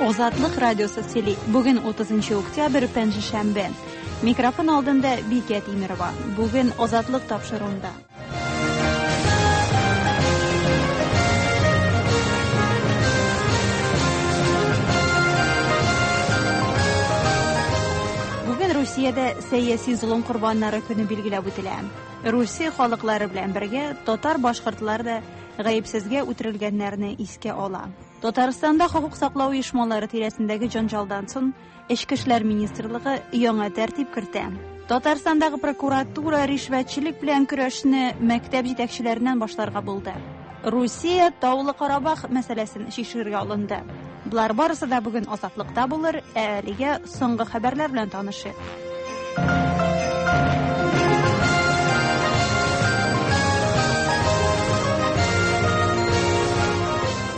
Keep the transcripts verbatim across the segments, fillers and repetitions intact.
Озатлык радиосы сөйли. Бүген утызынчы октябрь, пәнҗешәмбе. Микрофон алдында Бикә Тимирова. Бүген Озатлык тапшыруында. Бүген Русиядә сәяси золым корбаннары көне билгеләп үтелә. Русия халыклары белән бергә татар-башкортлар да гаепсезгә үтерелгәннәрне искә ала. Татарстанда хокук саклау оешмалары тирәсендәге җанҗалдан соң Эчке эшләр министрлыгы яңа тәртип кертә. Татарстандагы прокуратура ришвәтчелек белән көрәшне мәктәп җитәкчеләреннән башларга булды. Русия Таулы Карабах мәсьәләсен чишәргә алынды. Болар барысы да бүген Азатлыкта булыр, ә әлегә соңгы хәбәрләр белән танышыйк.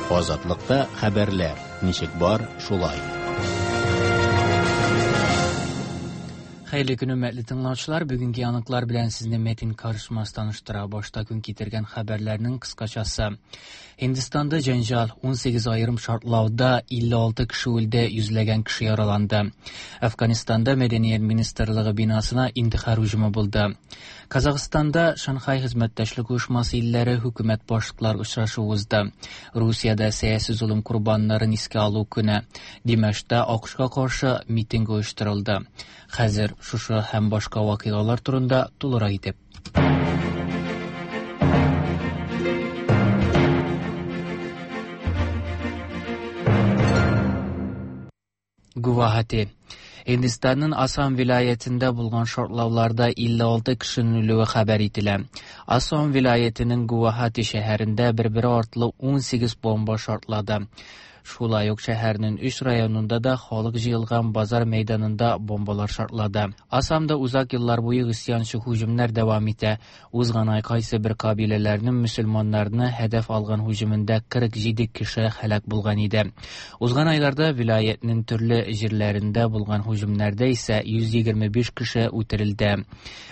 Азатлыкта хәбәрләр ничек бар, шулай. Хәерле көн, хөрмәтле тыңлаучылар. Бүгенге яңалыклар белән сезне Метин Карышмас таныштыра. Башта көн китергән хәбәрләрнең кыскачасы. Һиндстанда җәнҗал, унсигез аерым шартлауда илле алты кеше үлде, йөзләгән кеше яраланды. Афганистанда Мәдәният министрлыгы бинасына интихар һөҗүме булды. Казахстанда Шанхай хезмәттәшлек оешмасы илләре хөкүмәт башлыклары очрашуы узды. Русиядә сәяси золым корбаннарын искә алу көне. Димәштә АКШка каршы митинг оештырылды. Хәзер шушы һәм башка вакыйгалар турында тулырак итеп. Гувахати. Hindistan'ın Assam vilayetinde bulgan şartlavlarda elli altı kişinin ölüvü haber ителә. Assam vilayetinin Guwahati şəhərində bir-biri artlı on sekiz bomba şartladı. Шулай ук шәһәрнең өч районында да халык җыелган базар мәйданында бомбалар шартлады. Ассамда узак еллар буе гыйсьянчы һөҗүмнәр дәвам итә. Узган ай кайсы бер кабиләләрнең мөселманнарны һәдәф алган һөҗүмендә кырык җиде кеше һәлак булган иде. Узган айларда вилаятның төрле җирләрендә булган һөҗүмнәрдә исә йөз егерме биш кеше үтерелде.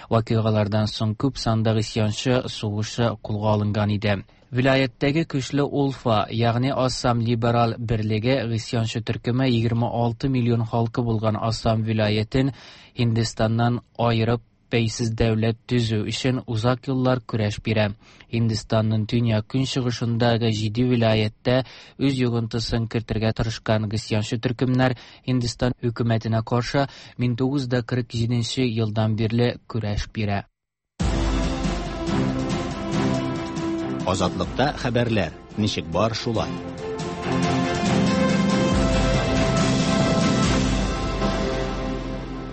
Вакыйгалардан соң күп санда гыйсьянчы сугышы кулга алынган иде. Vilayetdagi kuchli Ulfa, ya'ni Assam Liberal Birligi g'isiyonchi turkumi yigirma olti million xalqi bo'lgan Assam viloyatini Hindistondan ayirib beysiz davlat tuzuv uchun uzoq yillar kurash bera. Hindistonning dunyo kunchig'ishidagi jiddiy viloyatda o'z yo'g'intisini kiritirga tirishgan g'isiyonchi turkumlar Hindiston hukumatiga qarshi ming to'qqiz yuz qirq yettinchi yildan beri kurash bera. Азатлыкта хәбәрләр ничек бар, шулай.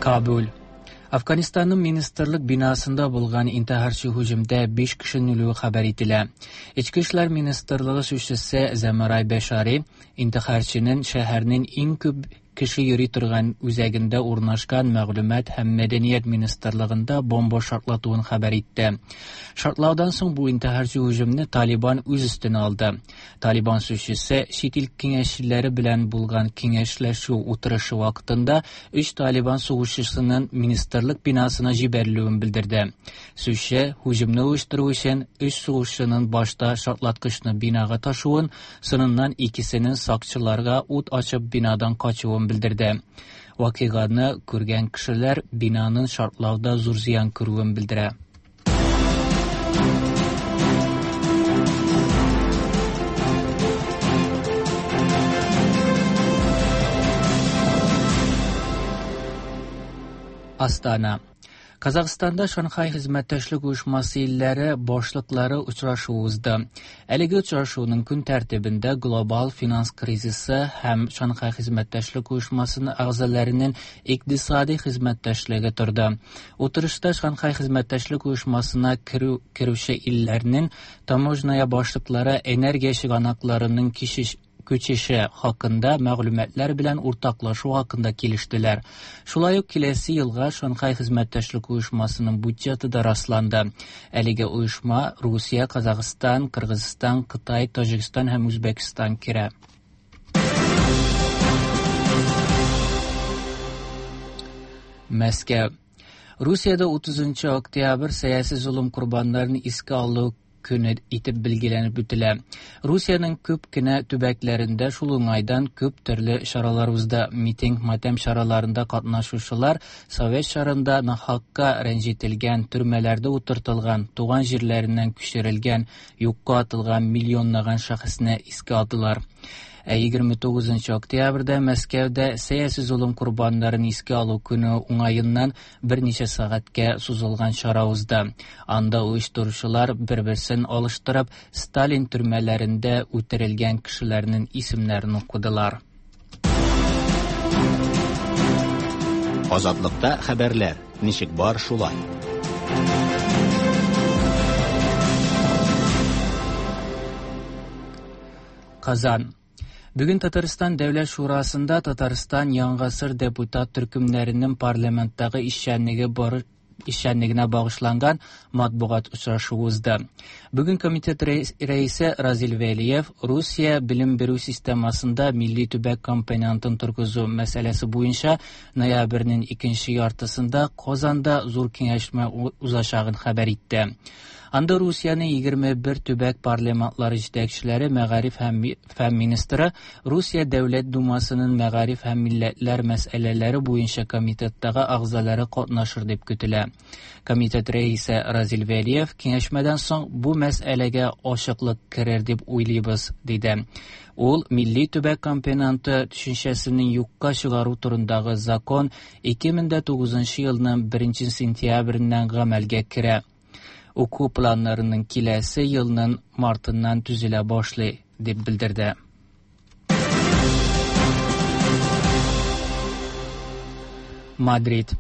Kabul. Afganistanның министрлык бинасында булган интихарчы һөҗүмдә биш кешенең үлүе хәбәр ителә. Эчке эшләр министрлыгы сүзчесе Замарай Башари интихарчының шәһәрнең иң күп кеше йөри торган үзәгендә урнашкан мәгълүмат һәм мәдәният министрлыгында бомба шартлатуын хәбәр итте. Шартлаудан соң бу интихарчы һөҗүмне Талибан үз өстенә алды. Талибан сүзчесе чит ил киңәшчеләре белән булган киңәшләшү утырышы вакытында өч Талибан сугышчысының министрлык бинасына җибәрелүен белдерде. Сүзче һөҗүмне оештыру өчен өч сугышчының башта шартлаткычны бинага ташуын, соңыннан икесенең сакчыларга ут ачып бинадан качуын белдерде. Вакыйганы күргән кешеләр бинаның шартлауда зур зыян күрүен белдерә. Астана. Казахстанда Шанхай хезмәттәшлек оешмасы илләре башлыклары очрашуы узды. Әлеге очрашуның көн тәртибендә глобал финанс кризисы һәм Шанхай хезмәттәшлек оешмасының әгъзаларының икътисади хезмәттәшлеге торды. Утырышта Шанхай хезмәттәшлек оешмасына керү, керүче илләрнең таможня башлыклары энергия чыганакларының кичеш күчеше хакында мәгълүматлар белән уртаклашу хакында килештеләр. Шулай ук киләсе елга Шанхай хезмәттәшлек оешмасының бюджеты да расланды. Әлеге оешма Русия, Казахстан, Кыргызстан, Кытай, Таҗикстан һәм Үзбәкстан керә. Мәскәү. Русиядә утызынчы октябрь сәяси золым корбаннарын искә алу көне итеп билгеләнеп үтелә. Русиянең күп кенә төбәкләрендә шул уңайдан күп төрле чаралар узды. Митинг, матәм чараларында катнашучылар совет чорында нахакка рәнҗетелгән, төрмәләрдә утыртылган, туган җирләреннән күчерелгән, юкка атылган миллионлаган шәхесне искә алдылар. Ә егерме тугызынчы октябрьдә Мәскәүдә сәяси золым корбаннарын искә алу көне уңаеннан берничә сәгатькә сузылган чара узды. Анда оештыручылар бер-берсен алыштырып, Сталин төрмәләрендә үтерелгән кешеләрнең исемнәрен укыдылар. Азатлыкта хәбәрләр ничек бар шулай. Казан. Бүген Татарстан Дәүләт Шурасында Татарстан Яңгасыр депутат төркемнәренең парламенттагы эшчәнлеге бар эшчәнлегенә багышланган матбугат очрашуы узды. Бүген комитет рәисе Разил Вәлиев Русия белем бирү системасында милли төбәк компонентын торгызу мәсьәләсе буенча ноябрьнең икенче яртысында Казанда зур киңәшмә узачагын хәбәр итте. Анда Русиянең егерме бер төбәк парламентлары җитәкчеләре, мәгариф һәм фән министры, Русия Дәүләт Думасының мәгариф һәм милләтләр мәсьәләләре буенча комитеттагы әгъзалары катнашыр дип көтелә. Комитет рәисе Разил Вәлиев киңәшмәдән соң бу мәсьәләгә ачыклык керер дип уйлыйбыз, диде. Ул милли төбәк компоненты төшенчәсенең юкка чыгару турындагы закон ике мең дә тугызынчы елның беренче сентябреннән гамәлгә керә. Уку планнарының киләсе елның мартыннан төзелә башлый, дип белдерде. Мадрид.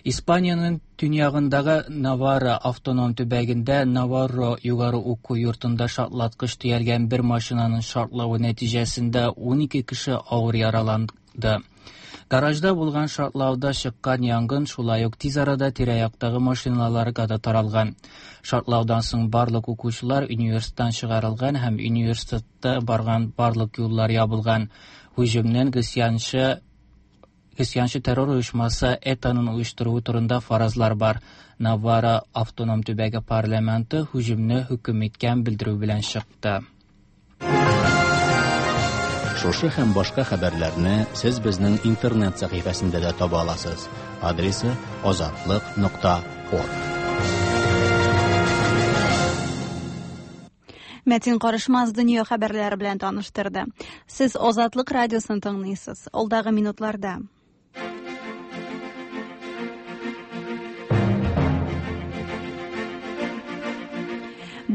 Испаниянең төньягындагы Наварра автоном төбәгендә Наварро югары уку йортында шартлаткыч төялгән бер машинаның шартлавы нәтиҗәсендә ун ике кеше авыр яраланды. Гаражда булган шартлауда чыккан янгын шулай ук тиз арада тирә-яктагы машиналарга да таралган. Шартлаудан соң барлык укучылар университеттан чыгарылган һәм университетта барган барлык юллар ябылган. Һөҗүмнең гыйсьянчы Гыйсьянчы террор оешмасы ЭТАның оештыруы турында фаразлар бар. Наварра автоном төбәге парламенты һөҗүмне хөкем иткән белдерү белән чыкты. Шушы һәм башка хәбәрләрне сез безнең интернет сәхифәсендә дә таба аласыз. Адресы азатлык нокта орг. Мәтин Карышмаз дөнья хәбәрләре белән таныштырды. Сез Азатлык радиосын тыңлыйсыз. Алдагы минутларда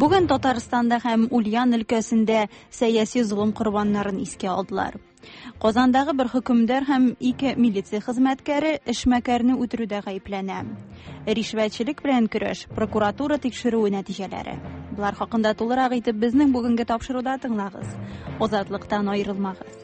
Бүген Татарстанда һәм Ульян өлкәсендә сәяси золым корбаннарын искә алдылар. Казандагы бер хөкемдар һәм ике милиция хезмәткәре эшмәкәрне үтерүдә гаепләнә. Ришвәтчелек белән көрәш, прокуратура тикшерүе нәтиҗәләре. Булар хакында тулырак итеп безнең бүгенге тапшыруда тыңлагыз. Азатлыктан аерылмагыз.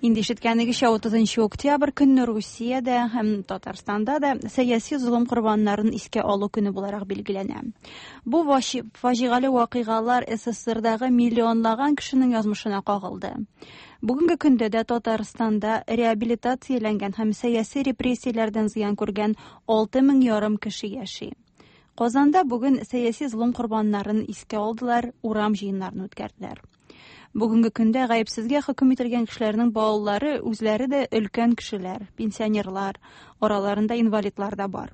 Инде ишеткәнегезчә, утызынчы октябрь көнне Русиядә һәм Татарстанда да сәяси золым корбаннарын искә алу көне буларак билгеләнә. Бу фаҗигале вакыйгалар СССРдагы миллионлаган кешенең язмышына кагылды. Бүгенге көндә дә Татарстанда реабилитацияләнгән һәм сәяси репрессияләрдән зыян күргән алты мең ярым кеше яши. Казанда бүген сәяси золым корбаннарын искә алдылар, урам җыеннарын үткәрделәр. Бүгенге көндә гаепсезгә хөкем ителгән кешеләрнең балалары үзләре дә өлкән кешеләр, пенсионерлар, араларында инвалидлар да бар.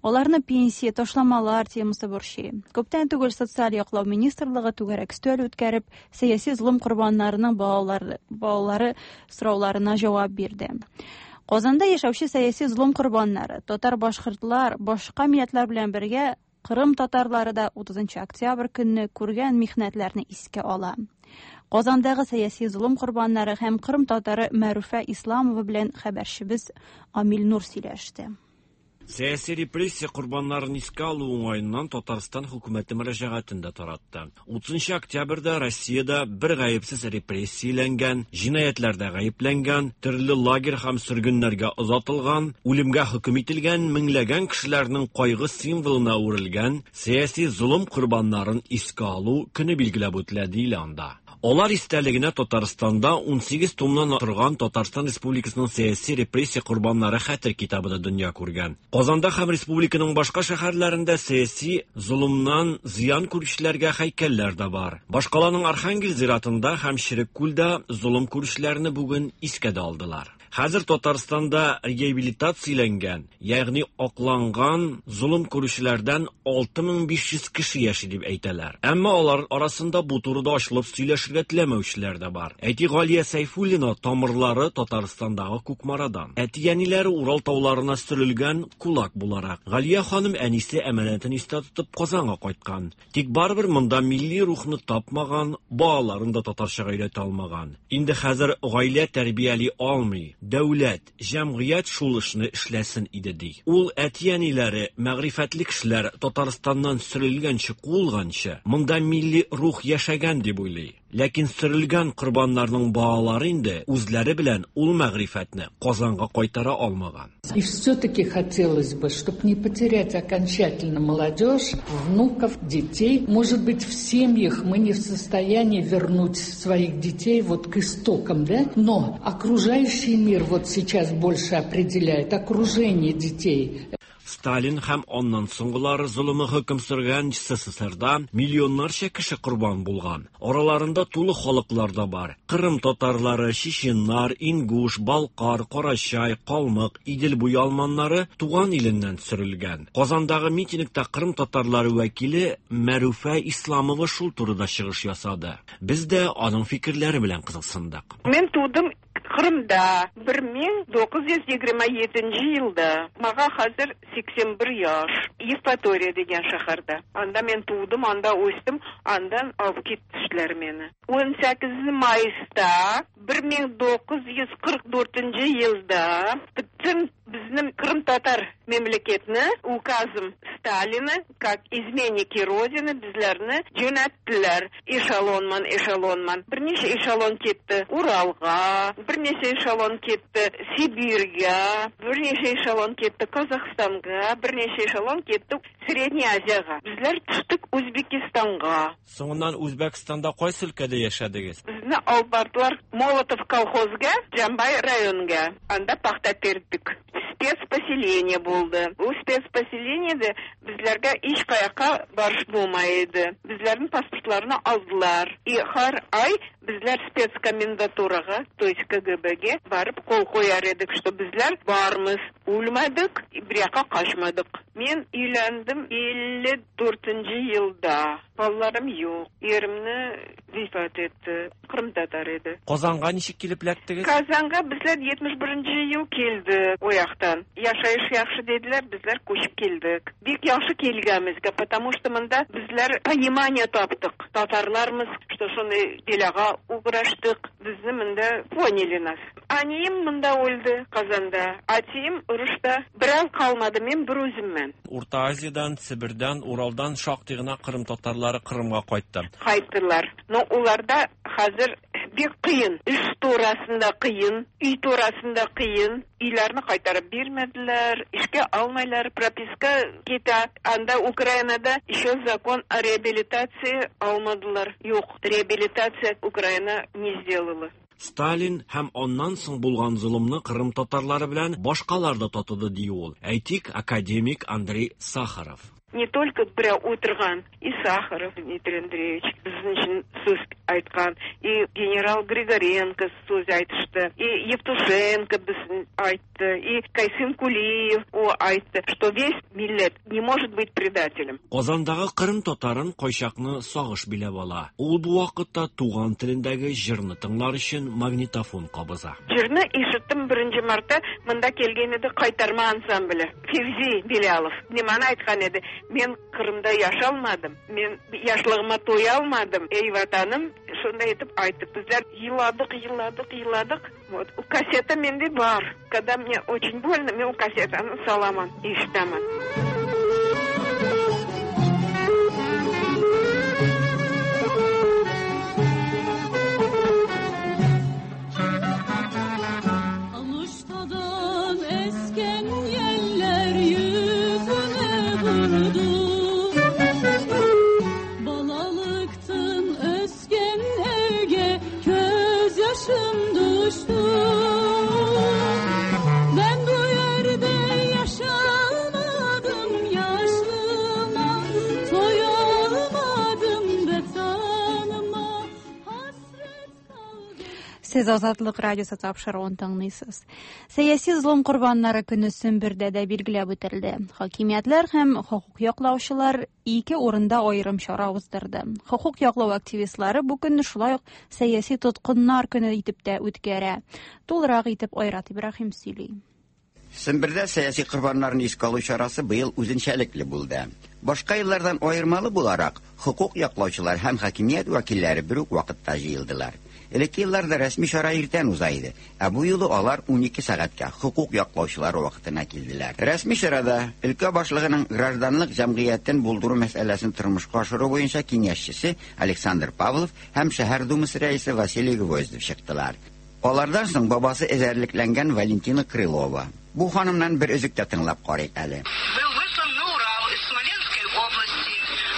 Аларны пенсия, ташламалар темасы борчый. Күптән түгел социаль яклау министрлыгы түгәрәк өстәл үткәреп, сәяси золым корбаннарының балалары, балалары сорауларына җавап бирде. Казанда яшәүче сәяси золым корбаннары, татар-башкортлар, башка милләтләр белән бергә Кырым татарлары да утызынчы октябрь көнне күргән михнәтләрне искә ала. Казандагы сәяси золым корбаннары һәм Кырым татары Мәруфә Исламова белән хәбәрчебез Амил Нур сөйләште. Сәяси репрессия корбаннарын искә алу уңаеннан Татарстан хөкүмәте мөрәҗәгатен дә таратты. Утызынчы октябрьдә Россиядә бер гаепсез репрессияләнгән, җинаятьләрдә гаепләнгән, төрле лагерь һәм сөргеннәргә озатылган, үлемгә хөкем ителгән меңләгән кешеләрнең кайгы символына әверелгән сәяси золым корбаннарын искә алу көне билгеләп үтелә диелә анда. Алар истәлегенә Татарстанда унсигез томнан торган Татарстан Республикасының сәяси репрессия корбаннары хәтер китабы да дөнья күргән. Казанда һәм республиканың башка шәһәрләрендә сәяси золымнан зыян күрүчеләргә һәйкәлләр дә бар. Башкаланың Архангел зиратында һәм Череккүлдә золым күрүчеләрне бүген искә дә алдылар. Хәзер Татарстанда реабилитацияләнгән, ягъни акланган золым күрүчеләрдән алты мең биш йөз кеше яши дип әйтәләр. Әмма алар арасында бу турыда ачылып сөйләшергә теләмәүчеләр дә бар. Әти Галия Сәйфуллина тамырлары Татарстандагы Кукмарадан. Әти-әниләре Урал тауларына сөрелгән кулак буларак. Галия ханым әнисе әманәтен истә тотып Казанга кайткан. Тик барыбер монда милли рухны тапмаган, балаларын да татарчага өйрәтә алмаган. Инде хәзер гаилә тәрбияли алмый. Дәүләт, җәмгыять шул эшне эшләсен иде ди. Ул әти-әниләре, мәгърифәтле кешеләр Татарстаннан сөрелгәнче, куылганчы, монда милли рух яшәгән дип уйлый. Ләкин сөрелгән корбаннарның балалары инде үзләре белән ул мәгърифәтне Казанга кайтара алмаган. И все-таки хотелось бы, чтобы не потерять окончательно молодежь, внуков, детей. Может быть, в семьях мы не в состоянии вернуть своих детей вот к истокам, да? Но окружающий мир вот сейчас больше определяет окружение детей. Сталин һәм аннан соңгылары золымы хөкем сөргән СССРда миллионнарча кеше корбан булган. Араларында тулы халыклар да бар. Кырым татарлары, чеченнар, ингуш, балкар, карачай, калмык, Идел буе алманнары туган иленнән сөрелгән. Казандагы митингта Кырым татарлары вәкиле Мәрүфә Исламова шул турыда чыгыш ясады. Без дә аның фикерләре белән кызыксындык. Мин тудым Кырымда бер мең тугыз йөз егерме җиденче елда. Мага хәзер сиксән бер яшь. Евпатория дигән шәһәрдә. Анда мин тудым, анда үстем, андан алып киттеләр мине. ун сигезенче майста бер мең тугыз йөз кырык дүртенче елда бөтен безнең Кырым татар мемлекетне указом Сталина, как изменники Родины, безләрне җүнәттеләр. Эшелонман, эшелонман. Берничә эшелон китте Уралга, берничә эшелон китте Сибиргә, берничә эшелон китте Казахстанга, берничә эшелон китте Средний Азиягә. Безләр төштек Үзбекистанга. Соңыннан Үзбекстанда кайсы өлкәдә яшәдегез? Безне алып бардылар Молотов колхозга, Җамбай районга. Анда пахта тердек. Спецпоселение булды. Бу спецпоселениедә безләргә һич каякка барыш булмай иде. Безләрнең паспортларын алдылар. И һәр ай безләр спецкомендатурага, то есть КГБ-ге барып кул куяр идек, что безләр бармыз, үлмәдек, бер якка качмадык. Мин өйләндем илле дүртенче елда. Балаларым юк. Иремне вифат итте. Кырым татар иде. Казанга ничек килеп эләктегез? Казанга безләр җитмеш беренче ел килдек о яктан. Яшәеш яхшы диделәр, безләр күчеп килдек. Бик яхшы килгәнбезгә, потому что монда безләр понимание таптык. Татарлармыз, что шуны делага уграштык. Безне монда поняли нас. Әнием монда үлде Казанда. Әтием урышта. Берәү калмады, мин бер үземмен. Урта Азиядән, Себердән, Уралдан шактый гына Кырым татарлары Кырымга кайтты. Кайттылар. Но уларда хәзер бик кыен. Эш турасында кыен, өй турасында кыен. Өйләрне кайтарып бирмәделәр, эшкә алмайлар, прописка китә. Анда Украинада еще закон о реабилитации алмадылар. Юк, реабилитация Украина не сделала. Сталин һәм аннан соң булган золымны Кырым татарлары белән башкалар да татыды ди ул. Әйтик, академик Андрей Сахаров. Не только берәү утырган, и Сахаров Дмитрий Андреевич безнең өчен сүз әйткән, и генерал Григоренко сүз әйтте, и Евтушенко безнең әйтте, и Кайсын Кулиев о әйтте, что весь милләт не может быть предателем. Казандагы Кырым татарын кайчакны сагыш биләп ала. Ул бу вакытта туган телендәге җырны тыңлар өчен магнитофон кабыза. Җырны ишеттем беренче мартта, монда килгән иде Кайтарма ансамбле. Февзи Белялов ниманы әйткән иде? Мен Кырымда яшалмадым, мен яшлыгыма туя алмадым. Эй, ватаным, шундай итеп әйтеп, безләр еладык, еладык, еладык. Вот, у кассета миндә бар. Когда мне очень больно, мен у кассетаны саламан, ишетәмен. Aluştadan esken yeller yüzüme vurdu. Balalıktın ösken evge Сез Азатлык радиосы тапшыруын тыңлыйсыз. Сәяси золым корбаннары көне Сембердә дә билгеләп үтелде. Хакимиятләр һәм хокук яклаучылар ике урында аерым чара уздырды. Хокук яклау активистлары бу көнне шулай ук сәяси тоткыннар көне итеп тә үткәрә. Тулырак итеп Айрат Ибраһим сөйли. Сембердә сәяси корбаннарын искә алу чарасы быел үзенчәлекле булды. Башка еллардан аермалы буларак, хокук яклаучылар һәм хакимият вәкилләре бер үк вакытта җыелдылар. Элекке елларда рәсми чара иртән уза иде, ә бу юлы алар унике сәгатькә хокук яклаучылар вакытына килделәр. Рәсми чарада өлкә башлыгының гражданлык җәмгыятен булдыру мәсьәләсен тормышка ашыру буенча киңәшчесе Александр Павлов һәм шәһәр думасы рәисе Василий Гвоздев чыктылар. Алардан соң бабасы эзәрлекләнгән Валентина Крылова. Бу ханымнан бер өзек тә тыңлап карыйк әле. Был выслан на Урал из Смоленской области.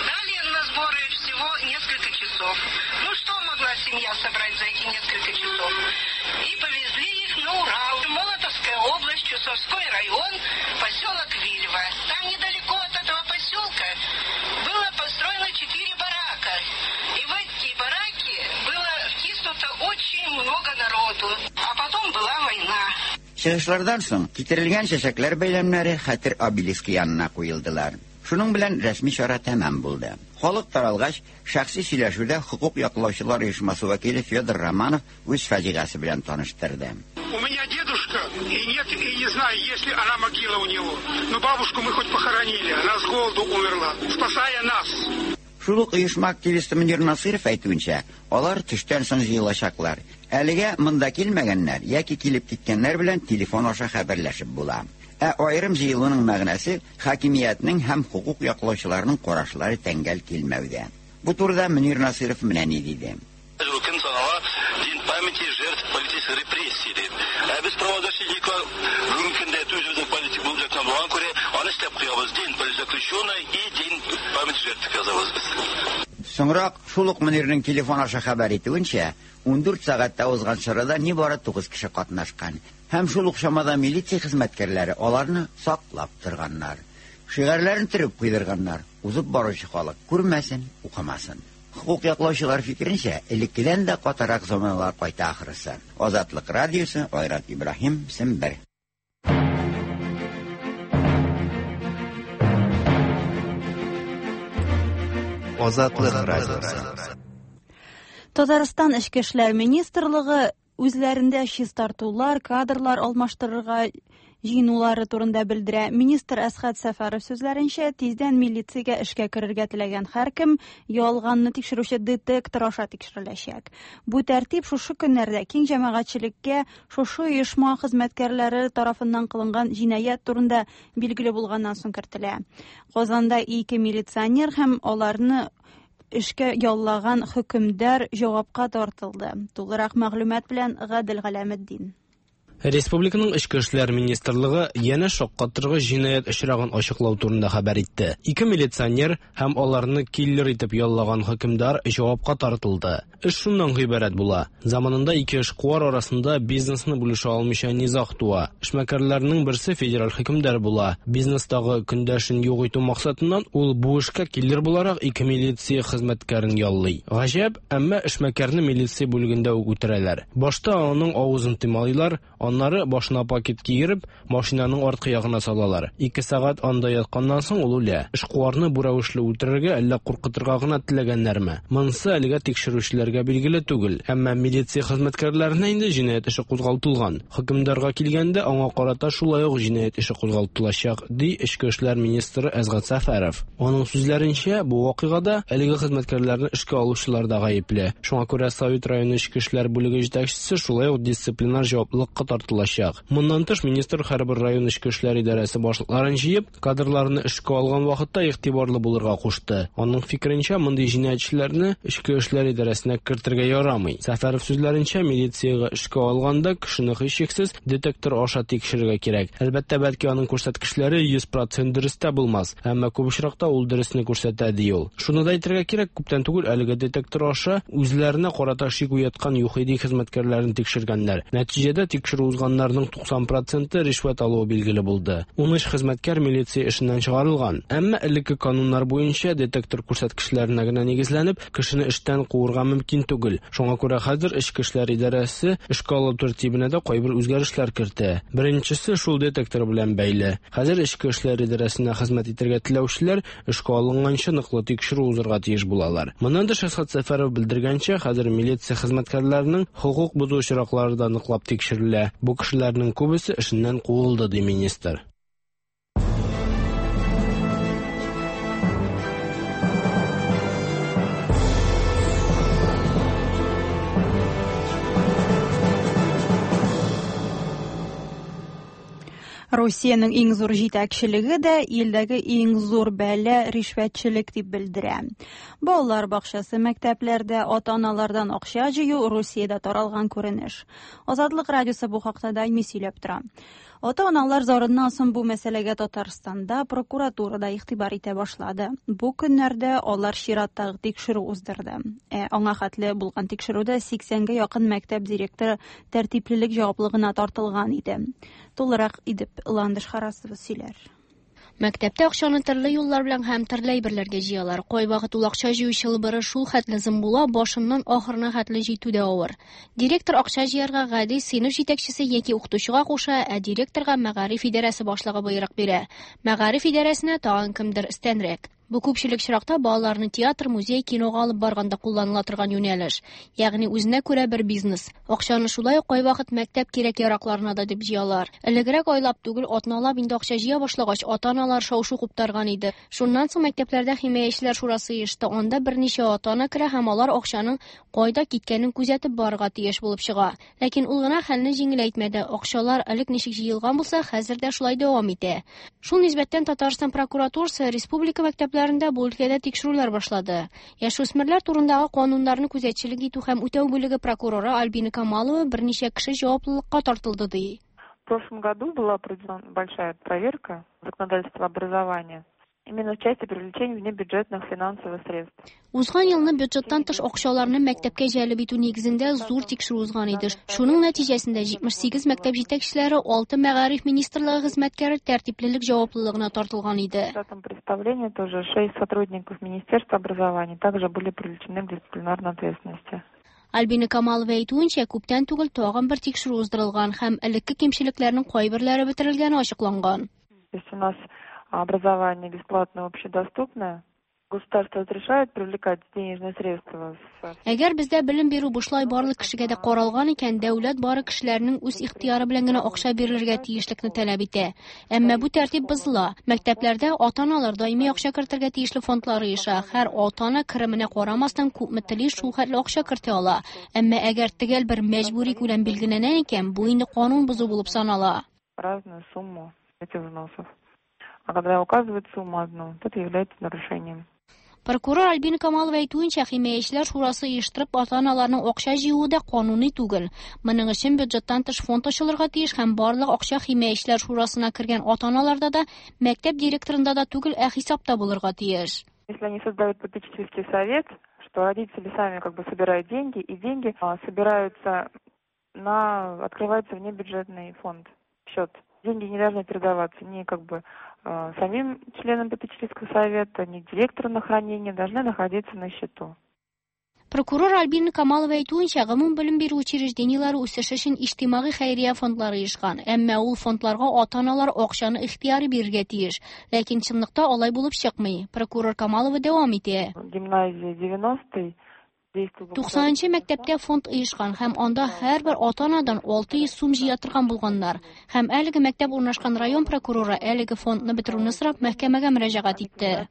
Дали на сборы всего несколько часов. Ну что могла семья собрать за эти несколько часов? И повезли их на Урал. Молотовская область, Чусовской район, поселок Вильва. Там недалеко от этого поселка было построено четыре барака. И в эти бараки было втиснуто очень много народу. А потом была война. Чыгышлардан соң китерелгән чәчәкләр бәйләмнәре хәтер обелиски янына куелдылар. Шуның белән рәсми чара тәмам булды. Халык таралгач, шәхси сөйләшүдә хокук яклаучылар оешмасы вәкиле Федор Романов үз фаҗигасе белән таныштырды. У меня дедушка, и нет, и не знаю, есть ли она могила у него. Но бабушку мы хоть похоронили, она с голоду умерла, спасая нас. Шул ук оешма активисты Мөнир Насыров әйтүенчә, алар төштән соң җыелачаклар. Әлегә монда килмәгәннәр яки килеп киткәннәр белән телефон аша хәбәрләшеп була. Ә аерым җыелуның мәгънәсе хакимиятнең һәм хокук яклаучыларның карашлары тәңгәл килмәүдә. Бу турыда Мөнир Насыров менә ни диде. Көн санала День памяти жертв политических репрессий дип. Ә без правозащитниклар бүгенге көндә үзебезнең политик булып яткан булган күрә, аны эшләп куябыз. День политзаключенный и День памяти жертв язабыз без. Соңрак шул ук Мөнирнең телефон аша хәбәр итүенчә, ундүрт сәгатьтә узган чарада нибары тугыз кеше катнашкан. Һәм шул ук чамада милиция хезмәткәрләре аларны саклап торганнар. Шигарьләрен төреп куйдырганнар. Узып баручы халык күрмәсен, укымасын. Хокук яклаучылар фикеренчә, элеккедән дә катырак заманалар кайта ахрысы. Азатлык радиосы, Айрат Ибраһим, Сембер. Азатлык радиосы. Татарстан Эчке эшләр министрлыгы үзләрендә чистартулар, кадрлар алмаштырырга җыенулары турында белдерә. Министр Әсхәт Сәфәров сүзләренчә, тиздән милициягә эшкә керергә теләгән һәркем ялганны тикшерүче детектор аша тикшереләчәк. Бу тәртип шушы көннәрдә киң җәмәгатьчелеккә шушы оешма хезмәткәрләре тарафыннан кылынган җинаять турында билгеле булганнан соң кертелә. Казанда ике милиционер һәм аларны эшкә яллаган хөкемдар җавапка тартылды. Тулырак мәгълүмат белән Гадел Галәметдин. Республиканың Эчке эшләр министрлыгы янә шаккатыргыч җинаять очрагын ачыклау турында хәбәр итте. Ике милиционер һәм аларны киллер итеп яллаган хөкемдар җавапка тартылды. Эш шуннан гыйбарәт була. Заманында ике эшкуар арасында бизнесны бүлешә алмыйча низаг туа. Эшмәкәрләрнең берсе федераль хөкемдар була. Бизнестагы көндәшен юк итү максатыннан ул бу эшкә киллер буларак ике милиция хезмәткәрен яллый. Гаҗәп, әмма эшмәкәрне милиция бүлегендә үк үтерәләр. Башта аның авызын томалыйлар, аннары башына пакет киереп, машинаның арткы ягына салалар. Ике сәгать анда ятканнан соң ул үлә. Эшкуарны бу рәвешле үтерергә әллә куркытырга гына теләгәннәрме? Монысы әлегә тикшерүчеләргә билгеле түгел. Әмма милиция хезмәткәрләренә инде җинаять эше кузгалтылган. Хөкемдарга килгәндә аңа карата шулай ук җинаять эше кузгалтылачак, ди Эчке эшләр министры Әсгать Сәфәров. Аның сүзләренчә, бу вакыйгада әлеге хезмәткәрләрне эшкә алучылар да гаепле. Шуңа күрә Совет районы эчке эшләр бүлеге җитәкчесе шулай ук дисциплинар җаваплылыкка тартылачак. Моннан тыш министр һәрбер район эчке эшләр идарәсе башлыкларын җыеп, кадрларны эшкә алган вакытта игътибарлы булырга кушты. Аның фикеренчә, мондый җинаятьчеләрне эчке эшләр идарәсенә кертергә ярамый. Сәфәров сүзләренчә, милициягә эшкә алганда кешене һичшиксез детектор аша тикшерергә кирәк. Әлбәттә, бәлки аның күрсәткечләре йөз процент дөрес тә булмас, әмма күп очракта ул дөресне күрсәтә, ди ул. Шуны да әйтергә кирәк, күптән түгел әлеге детектор аша үзләренә карата шик уяткан ЮХИДИ хезмәткәрләрен тикшергәннәр. Нәтиҗәдә тикшерү Тикшерү узганнарның туксан проценты ришвәт алуы билгеле булды. Ун өч хезмәткәр милиция эшеннән чыгарылган. Әмма элекке кануннар буенча детектор күрсәткечләренә генә нигезләнеп, кешене эштән куырга мөмкин түгел. Шуңа күрә хәзер Эчке эшләр идарәсе эшкә алу тәртибенә дә кайбер үзгәрешләр кертә. Беренчесе шул детектор белән бәйле. Хәзер Эчке эшләр идарәсенә хезмәт итәргә теләүчеләр эшкә алынганчы ныклы тикшерү узырга тиеш булалар. Моннан тыш, Әсхәт Сәфәров белдергәнчә, хәзер милиция хезмәткәрләренең хокук бозу очраклары да ныклап тикшерелә. Бу кешеләрнең күбесе эшеннән куылды, ди министр. Русиянең иң зур җитәкчелеге дә илдәге иң зур бәла ришвәтчелек дип белдерә. Балалар бакчасы, мәктәпләрдә ата-аналардан акча җыю Русиядә таралган күренеш. Азатлык радиосы бу хакта даими сөйләп тора. Ата-аналар зарыннан соң бу мәсьәләгә Татарстанда прокуратура да игътибар итә башлады. Бу көннәрдә алар чираттагы тикшерү уздырды. Ә аңа хәтле булган тикшерүдә сиксәнгә якын мәктәп директоры тәртиплелек җаваплылыгына тартылган иде. Тулырак итеп Ландыш Харасова сөйләр. Мәктәптә акчаны төрле юллар белән һәм төрле әйберләргә җыялар. Кайвакыт ул акча җыю чылбыры шул хәтле зым була, башыннан ахырына хәтле җитү дә авыр. Директор акча җыярга гади сыйныф җитәкчесе яки укытучыга куша, ә директорга мәгариф идарәсе башлыгы боерык бирә. Мәгариф идарәсенә тагын кемдер өстәнрәк. Бу күпчелек очракта балаларны театр, музей, кинога алып барганда кулланыла торган юнәлеш, ягъни үзенә күрә бер бизнес. Акчаны шулай ук кайвакыт мәктәп кирәк-яракларына да дип җыялар. Элегрәк айлап түгел, атналап инде акча җыя башлагач, ата-аналар шау-шу куптарган иде. Шуннан соң мәктәпләрдә химаячеләр шурасы оешты. Анда берничә ата-ана керә һәм алар акчаның кайда киткәнен күзәтеп барырга тиеш булып чыга. Ләкин ул гына хәлне җиңеләйтмәде. Акчалар элек ничек җыелган булса, хәзер дә шулай дәвам итә. Шул нисбәттән Татарстан прокуратурасы республика мәктәпләрендә бу өлкәдә тикшерүләр башлады. Яшүсмерләр турындагы кануннарны күзәтчелек итү һәм үтәү бүлеге прокуроры Альбина Камалова берничә кеше җаваплылыкка тартылды ди. В прошлом году была проведена большая проверка законодательства образования именно в части привлечения внебюджетных финансовых средств. Узган елны бюджеттан тыш акчаларны мәктәпкә җәлеп итү нигезендә зур тикшерү узган иде. Шуның нәтиҗәсендә җитмеш сигез мәктәп җитәкчеләре, алты мәгариф министрлыгы хезмәткәре тәртиплелек җаваплылыгына тартылган иде. В этом представлении тоже шесть сотрудников Министерства образования также были привлечены к дисциплинарной ответственности. Альбина Камалова әйтүенчә, күптән түгел тагын бер тикшерү уздырылган һәм элекке кимчелекләрнең кайберләре бетерелгәне ачыкланган. То есть у нас образование бесплатное, общедоступное. Государство разрешает привлекать денежные средства. Әгәр бездә белем бирү бушлай барлык кешегә дә каралган икән, дәүләт бары кешеләрнең үз ихтыяры белән генә акча бирелергә тиешлекне таләп итә. Әмма бу тәртип бозыла. Мәктәпләрдә ата-аналар даими акча кертергә тиешле фондлар оеша. Һәр ата-ана кеременә карамастан күпме тели, шул хәтле акча кертә ала. Әмма әгәр төгәл бер мәҗбүри күләм билгеләнә икән, бу инде канун бозу булып санала. Разную сумму этих взносов. А когда указывают сумму одну, то это является нарушением. Прокурор Альбина Камалова әйтүенчә, химаячеләр шурасы оештырып ата-аналарның акча җыюы да кануни түгел. Моның өчен бюджеттан тыш фонд ачылырга тиеш һәм барлык акча химаячеләр шурасына кергән ата-аналарда да, мәктәп директорында да түгел, ә хисапта булырга тиеш. Если они создают попечительский совет, что родители сами как бы собирают деньги, и деньги собираются на открывается внебюджетный фонд, счет. Деньги не должны передаваться ни как бы самим членам попечительского совета, ни директору на хранение, должны находиться на счету. Прокурор Альбина Камалова әйтүенчә, гомум белем бирү учреждениеләре үсеше өчен иҗтимагый хәйрия фондлары оешкан. Әмма ул фондларга ата-аналар акчаны ихтыяри бирергә тиеш. Ләкин чынлыкта алай булып чыкмый. Прокурор Камалова дәвам итә. Гимназия девяностый Туксанынчы мәктәптә фонд оешкан һәм анда һәрбер ата-анадан алты йөз сум җыя торган булганнар. Һәм әлеге мәктәп урнашкан район прокуроры әлеге фондны бетерүне сорап мәхкәмәгә мөрәҗәгать итте.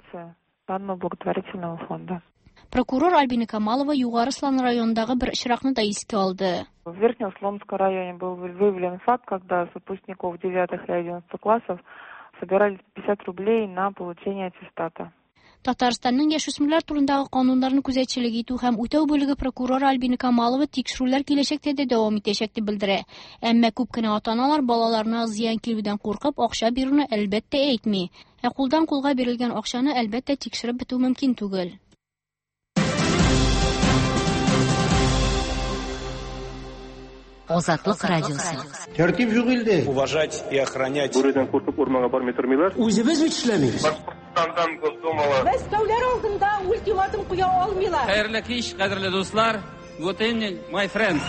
Благотворительного фонда. Прокурор Альбина Камалова Югары Слан районындагы бер очракны да искә алды. В Верхнеуслонском районе был выявлен факт, когда с выпускников девятых и одиннадцатых классов собирали пятьдесят рублей на получение аттестата. Татарстанның яшүсмерләр турындагы кануннарны күзәтчелек итү һәм үтәү бүлеге прокуроры Альбина Камалова тикшерүләр киләчәктә дә дәвам итәчәк дип белдерә. Әмма күп кенә ата-аналар балаларына зыян килүдән куркып акча бирүне әлбәттә әйтми. Ә кулдан кулга бирелгән акчаны әлбәттә тикшереп бетү мөмкин түгел. Азатлык радиосы. Тәртип юк илдә. Уважать и охранять. Бүредән куркып урманга бармый тормыйлар. Үзебез бит эшләмибез. Башкортстандан Госдумала. Мәскәүләр алдында ультиматум куя алмыйлар. Хәерле кич, кадерле дуслар. Good evening, my friends.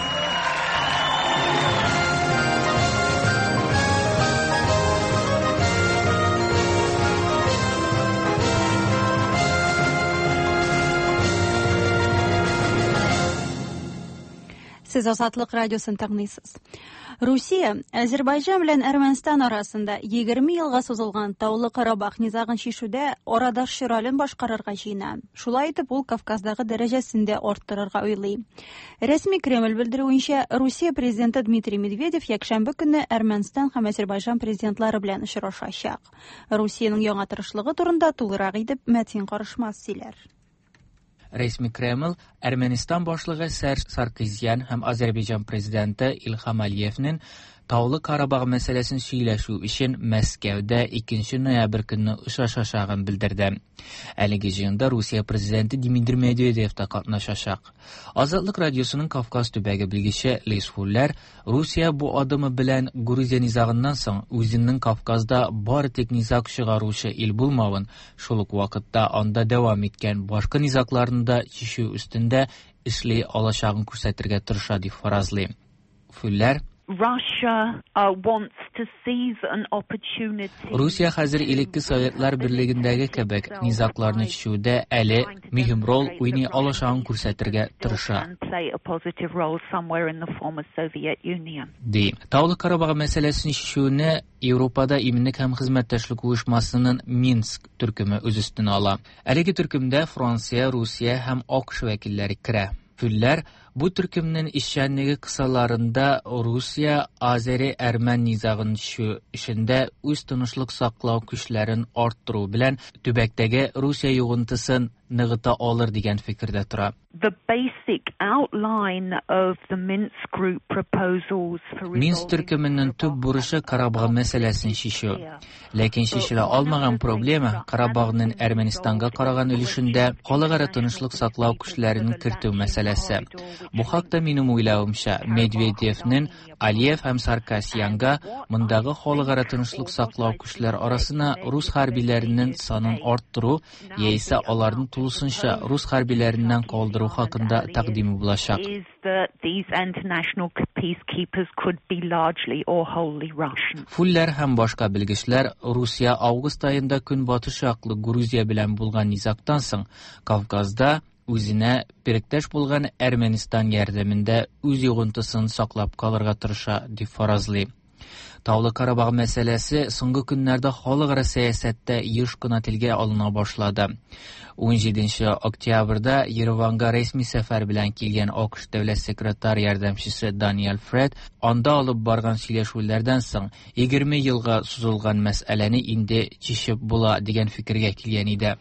Сез Азатлык радиосын тыңлыйсыз. Русия Азербайҗан белән Әрмәнстан арасында егерме елга сузылган Таулы Карабах низагын чишүдә арадашчы ролен башкарырга җыена. Шулай итеп ул Кавказдагы дәрәҗәсен дә арттырырга уйлый. Рәсми Кремль белдерүенчә, Русия президенты Дмитрий Медведев якшәмбе көнне Әрмәнстан һәм Азербайҗан президентлары белән очрашачак. Русиянең яңа тырышлыгы турында тулырак итеп Мәтин Карышмас сөйләр. Resmi Kreml, Ermənistan başlığı Serj Sarkisyan һәм Azərbaycan prezidenti İlham Aliyevnin Таулы Карабах мәсьәләсен сөйләшү өчен Мәскәүдә икенче ноябрь көнне очрашачагын белдерде. Әлеге җыенда Русия президенты Дмитрий Медведев та катнашачак. Азатлык радиосының Кавказ төбәге белгече Лиз Фуллер Русия бу адымы белән Грузия низагыннан соң үзенең Кавказда бары тик низаг чыгаручы ил булмавын, шул ук вакытта анда дәвам иткән башка низагларны да чишү өстендә эшли алачагын күрсәтергә тырыша дип фаразлый. Фуллер Russia uh, wants to seize an opportunity. Русия хәзер элекке Советлар Берлегендәге кебек низагларны чишүдә әле мөһим роль уйный алачагын күрсәтергә тырыша. Ди. Таулы Карабах мәсьәләсен чишүне Европада иминлек һәм хезмәттәшлек оешмасының Минск төркеме үз өстенә ала. Әлеге төркемдә Франция, Русия һәм АКШ вәкилләре керә. Фүлләр бу төркемнең эшчәнлеге кысаларында Русия Азери әрмән низагын чишү эшендә үз тынычлык саклау көчләрен арттыру белән төбәктәге Русия йогынтысын ныгыта алыр дигән фикердә тора. The basic outline of the Minsk group proposals for Минск төркеменең төп бурычы Карабах мәсьәләсен чишү. Ләкин чишелә алмаган проблема Карабахның Әрмәнистанга караган өлешендә халыкара тынычлык саклау көчләрен кертү мәсьәләсе. Бу хакта минем уйлавымча, Медведевнең Алиев һәм Саркасянга мондагы халыкара тынычлык саклау көчләре арасына рус хәрбиләренең санын арттыру яисә аларны тулысынча рус хәрбиләреннән калдыру хакында тәкъдиме булачак. Фуллер һәм башка белгечләр Русия август аенда көнбатыш яклы Грузия белән булган низагтан соң Кавказда үзенә беректәш булган Әрмәнистан ярдәмендә үз йогынтысын саклап калырга тырыша дип фаразлый. Таулы Карабах мәсьәләсе соңгы көннәрдә халыкара сәясәттә еш кына телгә алына башлады. унҗиденче октябрьдә Ереванга рәсми сәфәр белән килгән АКШ дәүләт секретарь ярдәмчесе Даниэль Фред анда алып барган сөйләшүләрдән соң егерме елга сузылган мәсьәләне инде чишеп була дигән фикергә килгән иде.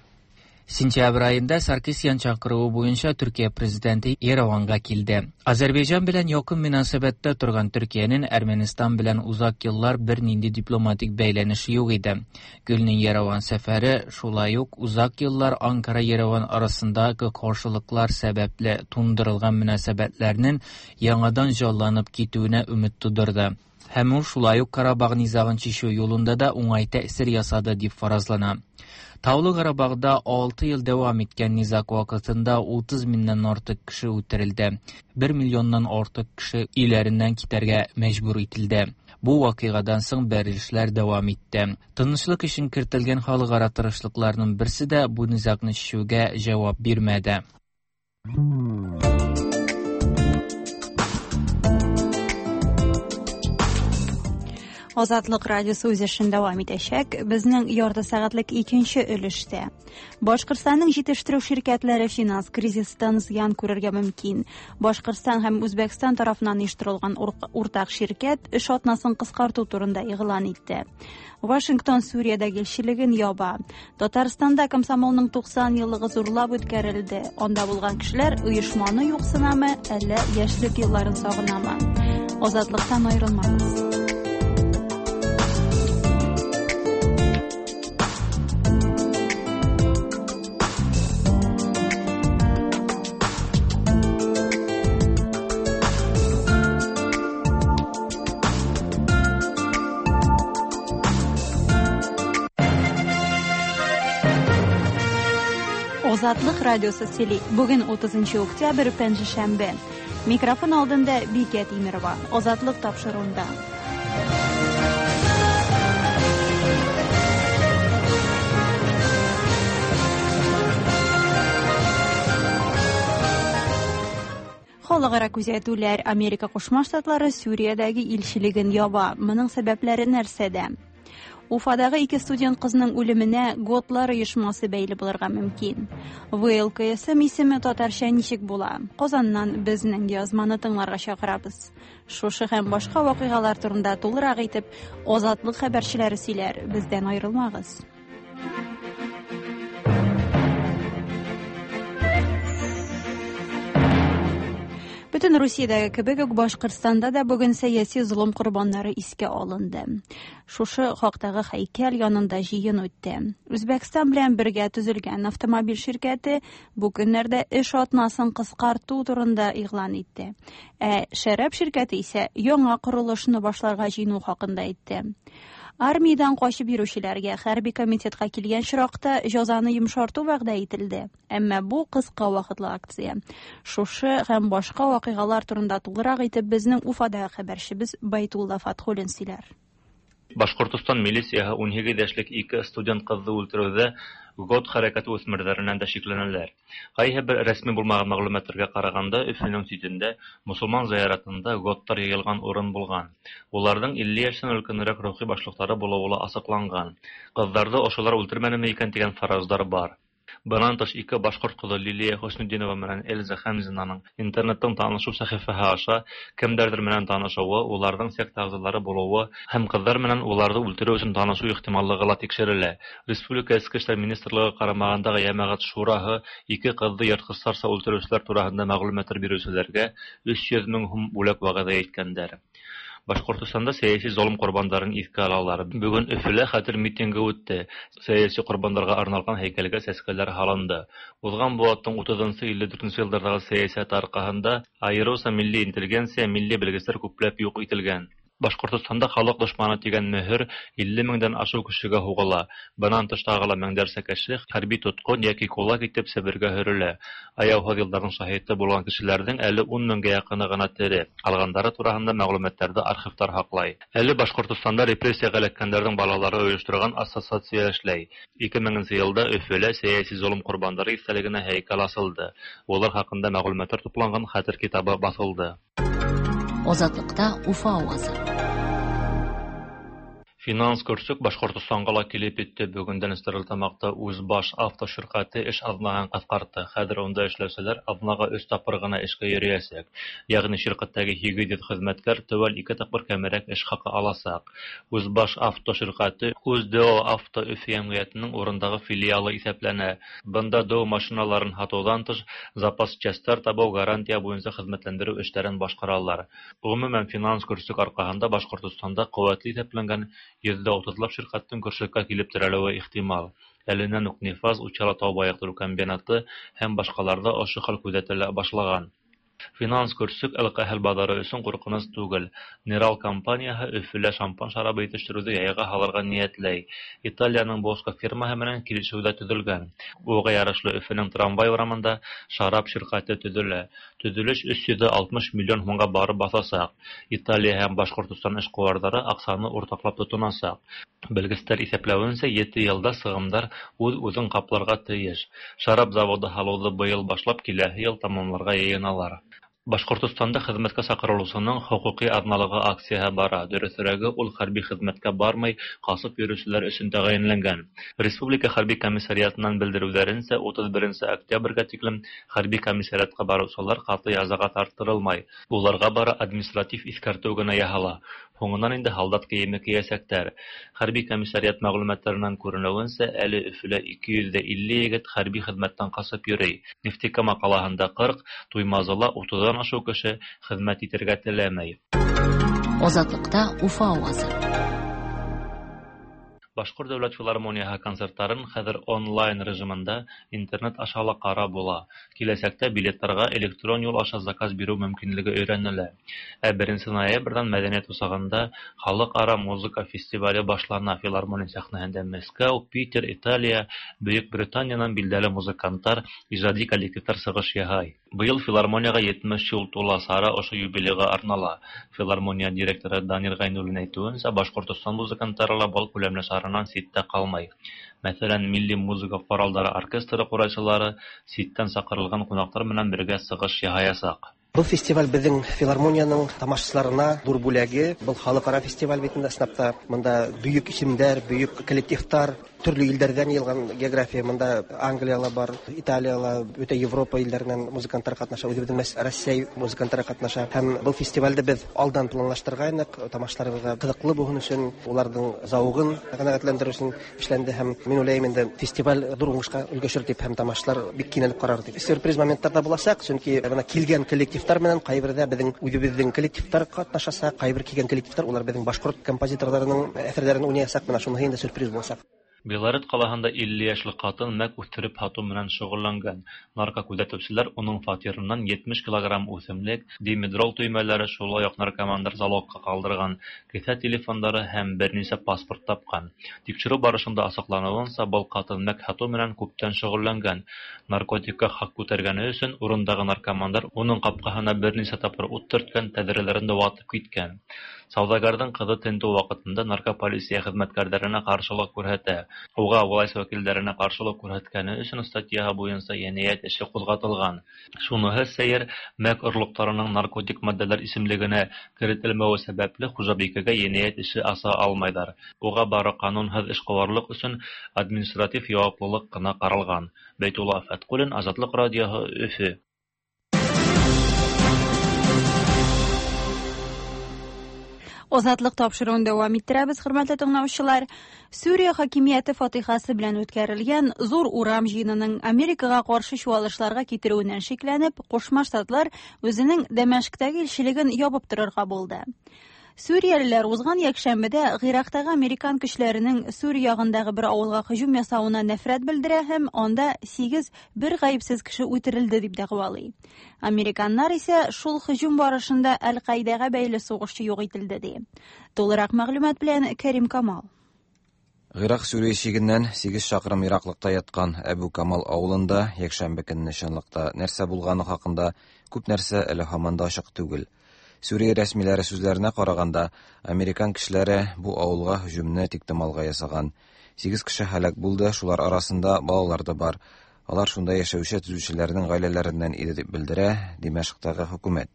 Сентябрь аенда Саркисян чакыруы буенча Төркия президенты Ереванга килде. Азербайҗан белән якын мөнәсәбәттә торган Төркиянең Әрмәнистан белән узак еллар бернинди дипломатик бәйләнеше юк иде. Гүлнең Ереван сәфәре шулай ук узак еллар Анкара-Ереван арасындагы каршылыклар сәбәпле тундырылган мөнәсәбәтләрнең яңадан җанланып китүенә өмет тудырды. Һәм ул шулай ук Карабах низагын чишү юлында да уңай тәэсир ясады дип фаразлана. Таулы Карабахда алты ел дәвам иткән низаг вакытында утыз меңнән артык кеше үтерелде. бер миллионнан артык кеше өйләреннән китәргә мәҗбүр ителде. Бу вакыйгадан соң бәрелешләр дәвам итте. Тынычлык өчен кертелгән халыкара тырышлыкларның берсе дә бу низагны чишүгә җавап бирмәде. Азатлык радиосы үз эшен дәвам итәчәк. Безнең ярты сәгатьлек икенче өлештә. Башкортстанның җитештерү ширкәтләре финанс кризистан зыян күрергә мөмкин. Башкортстан һәм Үзбәкстан тарафыннан оештырылган уртак ширкәт эш атнасын кыскарту турында игълан итте. Вашингтон Сүриядәге илчелеген яба. Татарстанда комсомолның туксан еллыгы зурлап үткәрелде. Анда булган кешеләр оешманы юксынамы, әллә яшьлек елларын сагынамы? Азатлыктан аерылмагыз. Азатлык радиосы сөйли. Бүген утызынчы октябрь, пәнҗешәмбе. Микрофон алдында Бикә Тимирова. Азатлык тапшыруында. Халыкара күзәтүләр Америка Кушма Штатлары Сүриядәге илчелеген яба. Моның сәбәпләре нәрсәдә? Уфадагы ике студент кызның үлеменә Готлар оешмасы бәйле булырга мөмкин. вэ эл ка эс эм исеме татарча ничек була? Казаннан безнең язманы тыңларга чакырабыз. Шушы һәм башка вакыйгалар турында тулырак итеп Азатлык хәбәрчеләре сөйләр. Бездән аерылмагыз. Бөтен Русиядәге кебек үк Башкортстанда да бүген сәяси золым корбаннары искә алынды. Шушы хактагы һәйкәл янында җыен үтте. Үзбәкстан белән бергә төзелгән автомобиль ширкәте бу көннәрдә эш атнасын кыскарту турында игълан итте. Ә шәраб ширкәте исә яңа корылышны башларга җыену хакында әйтте. Армиядән качып йөрүчеләргә хәрби комитетка килгән очракта җәзаны йомшарту вәгъдә ителде. Әмма бу кыска вакытлы акция. Шушы һәм башка вакыйгалар турында тулырак итеп безнең Уфадагы хәбәрчебез Байтулла Фатхуллин сөйләр. Башкортостан милицияһы ун һигеҙ йәшлек ике студент ҡыҙҙы үлтереүҙә ГОТ хәрәкәте үҫмерҙәренән дә шикләнәләр. Ҡайһы бер рәсми булмаған мәғлүмәттәргә ҡарағанда, Өфөнөң ситендә мосолман зыяратында ГОТтар йыйылған урын булған. Уларҙың илле йәштән өлкәнерәк рухи башлыҡтары булыуы ла асыҡланған. Ҡыҙҙарҙы ошолар үлтермәнеме икән тигән фараздар бар. Бынан тыш ике башҡорт ҡыҙы Лилия Хөснетдинова менән Эльза Хәмзинаның интернеттың танышыу сәхифәһе аша кемдәрҙер менән танышыуы, уларҙың секта ағзалары булыуы һәм ҡыҙҙар менән уларҙы үлтереү өсөн танышыу ихтималлығы ла тикшерелә. Республика Эске эштәр министрлығы ҡарамағындағы йәмәғәт шураһы ике ҡыҙҙы йыртҡыстарса үлтереүселәр тураһында мәғлүмәттәр биреүселәргә өс йөҙ мең һум бүләк вәғәҙә иткәндәр. Башҡортостанда сәйәси золым ҡорбандарын иҫкә алалар. Бөгөн Өфөлә хәтер митингы үтте. Сәйәси ҡорбандарға арналған һәйкәлгә сәскәләр һалынды. Уҙған быуаттың утыҙынсы илле дүртенсе йылдарҙағы сәйәсәт арҡаһында айырыуса милли интеллигенция, милли белгестәр күпләп юҡ ителгән. Башҡортостанда халыҡ дошманы тигән мөһөр илле меңдән ашыу кешегә һуғыла. Бынан тыш тағы ла меңдәрсә кеше хәрби тотҡон йәки кулак итеп Себергә һөрөлә. Аяуһыҙ йылдарҙың шаһиты булған кешеләрҙең әле ун меңгә яҡыны ғына тере. Ҡалғандары тураһында мәғлүмәттәрҙе архивтар һаҡлай. Әле Башҡортостанда репрессияға эләккәндәрҙең балалары ойошторған ассоциация эшләй. Ике меңенсе йылда Өфөлә сәйәси золым ҡорбандары иҫтәлегенә һәйкәл асылды. Улар хаҡында мәғлүмәттәр тупланған хәтер китабы баҫылды. Азатлыкта Уфа авазы. Финанс көрсөк Башҡортостанға ла килеп етте. Бөгөндән Стәрлетамаҡта Үзбаш авто ширҡәте эш аҙнаһын ҡыҫҡартты. Хәҙер унда эшләүселәр аҙнаға өс тапҡыр ғына эшкә йөрөйәсәк. Йәғни ширҡәттәге һигеҙ йөҙ хеҙмәткәр теүәл ике тапҡыр кәмерәк эш хаҡы аласаҡ. Үзбаш авто ширҡәте Үҙ-Д О Авто Өфө йәмғиәтенең урындағы филиалы иҫәпләнә. Бында Д О машиналарын һатыуҙан тыш запас частар табыу, гарантия буйынса хеҙмәтләндереү эштәрен башҡаралар. Ғөмүмән, финанс көрсөк арҡаһында Башҡортостанда ҡеүәтле иҫәпләнгән йөҙҙә утыҙлап ширҡәттең көршәккә килеп терәлеүе ихтимал. Әленән үк Нефаз, Учалы тау байыҡтырыу комбинаты һәм башҡаларҙа ошо хәл күҙәтелә башлаған. Финанс көрсөк алкоголь баҙары өсөн ҡурҡыныс түгел. Нерал компанияһы Өфөлә шампан шарабы етештереүҙе яйға һалырға ниәтләй. Италияның Боско фирмаһы менән килешеү ҙә төҙөлгән. Уға ярашлы Өфөнөң трамвай урамында шарап ширҡәте төҙөлә. Төҙөлөш өс йөҙ алтмыш миллион һумға барып баҫасаҡ. Италия һәм Башҡортостан эшҡыуарҙары аҡсаны уртаҡлап тотонасаҡ. Белгестәр иҫәпләүенсә, ете йылда сығымдар үҙ-үҙен ҡапларға тейеш. Шарап заводы һалыуҙы быйыл башлап, киләһе йыл тамамларға йыйыналар. Башҡортостанда хеҙмәткә саҡырылыусының хоҡуҡи аҙналығы акцияһы бара. Дөрөҫөрәге, ул хәрби хеҙмәткә бармай, ҡасып йөрөүселәр өсөн тәғәйенләнгән. Республика хәрби комиссариатынан белдереүҙәренсә, утыҙ беренсе октябргә тиклем хәрби комиссариатҡа барыусылар ҡаты язаға тарттырылмай. Уларға бары административ иҫкәртеү генә яһала. Һуңынан инде һалдат кейеме кейәсәктәр. Хәрби комиссариат мәғлүмәттәренән күренеүенсә, әле Өфөлә ике йөҙ ҙә илле егет хәрби хеҙмәттән ҡасып йөрөй. Нефтекама ҡалаһында ҡырҡ, Туймазыла утыҙҙан ашыу кеше хеҙмәт итергә теләмәй. Азатлыкта Уфа авазы. Башҡорт дәүләт филармонияһы концерттарын хәҙер онлайн режимында интернет аша ла ҡарап була. Киләсәктә билеттарға электрон юл аша заказ биреү мөмкинлеге өйрәнелә. Ә беренсе ноябрҙән мәҙәниәт усағында халыҡ-ара музыка фестивале башлана. Филармония сәхнәһендә Мәскәү, Питер, Италия, Бөйөк Британиянан билдәле музыканттар, ижади коллективтар сығыш яһай. Быйыл филармонияға етмеш йыл тула, сара ошо юбилейға арнала. Филармония директоры Данир Ғәйнуллин әйтеүенсә, Башҡортостан музыканттары ла был күләмле саранан ситтә ҡалмай. Мәҫәлән, милли музыка ҡоралдары оркестры ҡурайсылары ситтән саҡырылған ҡунаҡтар менән бергә сығыш яһаясаҡ. Был фестиваль беҙҙең филармонияның тамашасыларына ҙур бүләге. Был халыҡ-ара фестиваль бит инде, ысынлап та бында бөйөк исемдәр, бөйөк коллективтар, төрлө илдәрҙән йыйылған география. Бында Англияла бар, Италияла, бөтә Европа илдәренән музыканттар ҡатнаша, үҙебеҙҙең Рәсәй музыканттары ҡатнаша. Һәм был фестивалде беҙ алдан планлаштырғайныҡ, тамашасыларыбыҙға ҡыҙыҡлы булһын өсөн, уларҙың зауығын ҡәнәғәтләндереү өсөн эшләнде. Һәм мин уйлайым инде, фестиваль ҙур уңышҡа өлгәшер тип, һәм тамашасылар бик кинәнеп ҡарар тип. Сюрприз моменттар ҙа буласаҡ, сөнки бына килгән коллектив менән ҡайберҙә беҙҙең үҙебеҙҙең коллективтар ҡатнашасаҡ, ҡайбер килгән коллективтар улар беҙҙең башҡорт композиторҙарының әҫәрҙәрен уйнаясаҡ. Бына шуныһы инде сюрприз буласаҡ. Белорет ҡалаһында илле йәшлек ҡатын мәк үҫтереп һатыу менән шөғөлләнгән. Наркокүҙәтеүселәр уның фатирынан етмеш килограмм үҫемлек, димедрол төймәләре, шулай уҡ наркомандар залогҡа ҡалдырған кеҫә телефондары һәм бер нисә паспорт тапҡан. Тикшереү барышында асыҡланыуынса, был ҡатын мәк һатыу менән күптән шөғөлләнгән. Наркотикка хаҡ күтәргәне өсөн урындағы наркомандар уның ҡапҡаһына бер нисә тапҡыр ут төрткән, тәҙрәләрен дә ватып киткән. Сауҙагәрҙең ҡыҙы тентеү ваҡытында наркополиция хеҙмәткәрҙәренә ҡаршылыҡ күрһәтә. Уға власть вәкилдәренә ҡаршылыҡ күрһәткәне өсөн статьяһы буйынса енәйәт эше ҡуҙғатылған. Шуныһы сәйер, мәк орлоҡтарының наркотик матдәләр исемлегенә керетелмәүе сәбәпле хужабикәгә енәйәт эше аса алмайҙар. Уға бары ҡанунһыҙ эшҡыуарлыҡ өсөн административ яуаплылыҡ ҡына ҡаралған. Бәйтулла Фәтҡуллин, Азатлыҡ радиоһы, Өфө. Азатлык тапшырыуын дәвам иттерәбез, хөрмәтле тыңлаучылар. Сүрия хакимияте фатихасы белән үткәрелгән зур урам җыенының Америкага каршы чуалышларга китерүеннән шикләнеп, Кушма Штатлар үзенең Дәмәшктәге илчелеген ябып торырга булды. Сүриялеләр узган якшәмбедә Гыйрактагы американ көчләренең Сүрия ягындагы бер авылга һөҗүм ясавына нәфрәт белдерә һәм анда сигез бер гаепсез кеше үтерелде дип дәгъвалый. Американнар исә шул һөҗүм барышында Әл-Каидәгә бәйле сугышчы юк ителде ди. Тулырак мәгълүмат белән Кәрим Камал. Гыйрак Сүрия чигеннән сигез чакрым ераклыкта яткан Әбу Камал авылында якшәмбе көнне чынлыкта нәрсә булганы хакында күп нәрсә әле һаман да ачык түгел. Сүрия рәсмиләре сүзләренә караганда, американ кешеләре бу авылга һөҗүмне тиктомалга ясаган. Сигез кеше һәлак булды, шулар арасында балалар да бар. Алар шунда яшәүче төзүчеләрнең гаиләләреннән иде дип белдерә Димәшктагы хөкүмәт.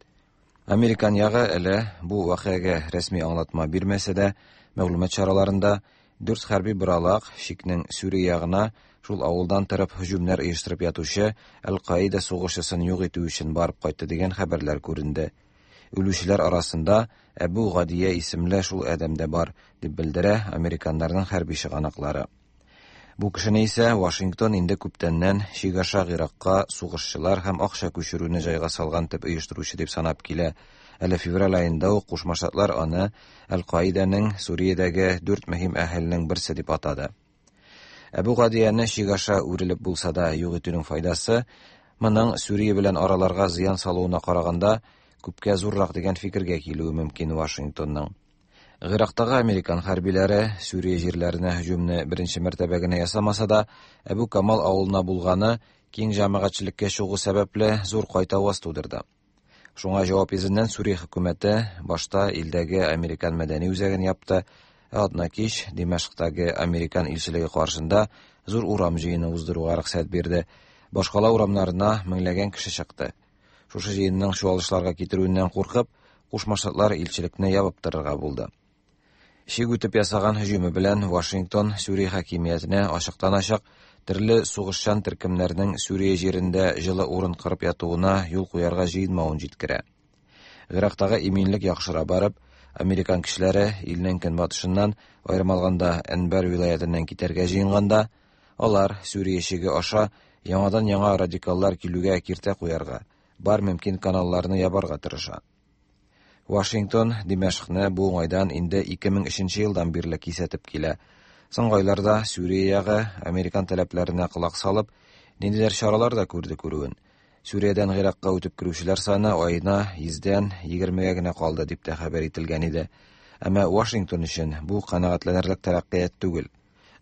Американ ягы әле бу вакыйгага рәсми аңлатма бирмәсә дә, мәгълүмат чараларында дүрт хәрби быралак шикнең Сүрия ягына шул авылдан торып һөҗүмнәр оештырып ятучы Әл-Каида сугышчысын юк итү өчен барып кайтты дигән хәбәрләр күренде. Үлүчеләр арасында Әбу Гадия исемле шул адәм дә бар, дип белдерә американнарның хәрби чыганаклары. Бу кешене исә Вашингтон инде күптәннән чик аша Гыйракка сугышчылар һәм акча күчерүне җайга салган төп оештыручы дип санап килә. Әле февраль аенда ук Кушма Штатлар аны Әл-Каиданың Сүриядәге дүрт мөһим әһеленең берсе дип атады. Әбу Гадияне чик аша үрелеп булса да юк итүнең файдасы моның Сүрия белән араларга зыян салуына караганда күпкә зуррак дигән фикергә килүе мөмкин Вашингтонның. Гыйрактагы американ хәрбиләре Сүрия җирләренә һөҗүмне беренче мәртәбә генә ясамаса да, Әбу Камал авылына булганы киң җәмәгатьчелеккә чыгу сәбәпле зур кайтаваз тудырды. Шуңа җавап йөзеннән Сүрия хөкүмәте башта илдәге американ мәдәни үзәген япты, ә атна кич Димәшктәге американ илчелеге каршында зур урам җыены уздыруга рөхсәт бирде. Башкала урамнарына меңләгән кеше чыкты. Шушы җыенның чуалышларга китерүеннән куркып, Кушма Штатлар илчелекне ябып торырга булды. Чик үтеп ясаган һөҗүме белән Вашингтон Сүрия хакимиятенә ачыктан-ачык төрле сугышчан төркемнәрнең Сүрия җирендә җылы урын кырып ятуына юл куярга җыенмавын җиткерә. Гыйрактагы иминлек яхшыра барып, американ кешеләре илнең көнбатышыннан, аерым алганда Әнбәр вилаятеннән китәргә җыенганда, алар Сүрия чиге аша яңадан-яңа радикаллар килүгә киртә куярга, бар мөмкин каналларны ябарга тырыша. Вашингтон Димәшкне бу уңайдан инде ике мең өченче елдан бирле кисәтеп килә. Соңгы айларда Сүрия ягы американ таләпләренә колак салып, ниндидер чаралар да күрде күрүен. Сүриядән Гыйракка үтеп керүчеләр саны аена йөздән егермегә генә калды дип тә хәбәр ителгән иде. Әмма Вашингтон өчен бу канәгатьләнерлек тәрәккыят түгел.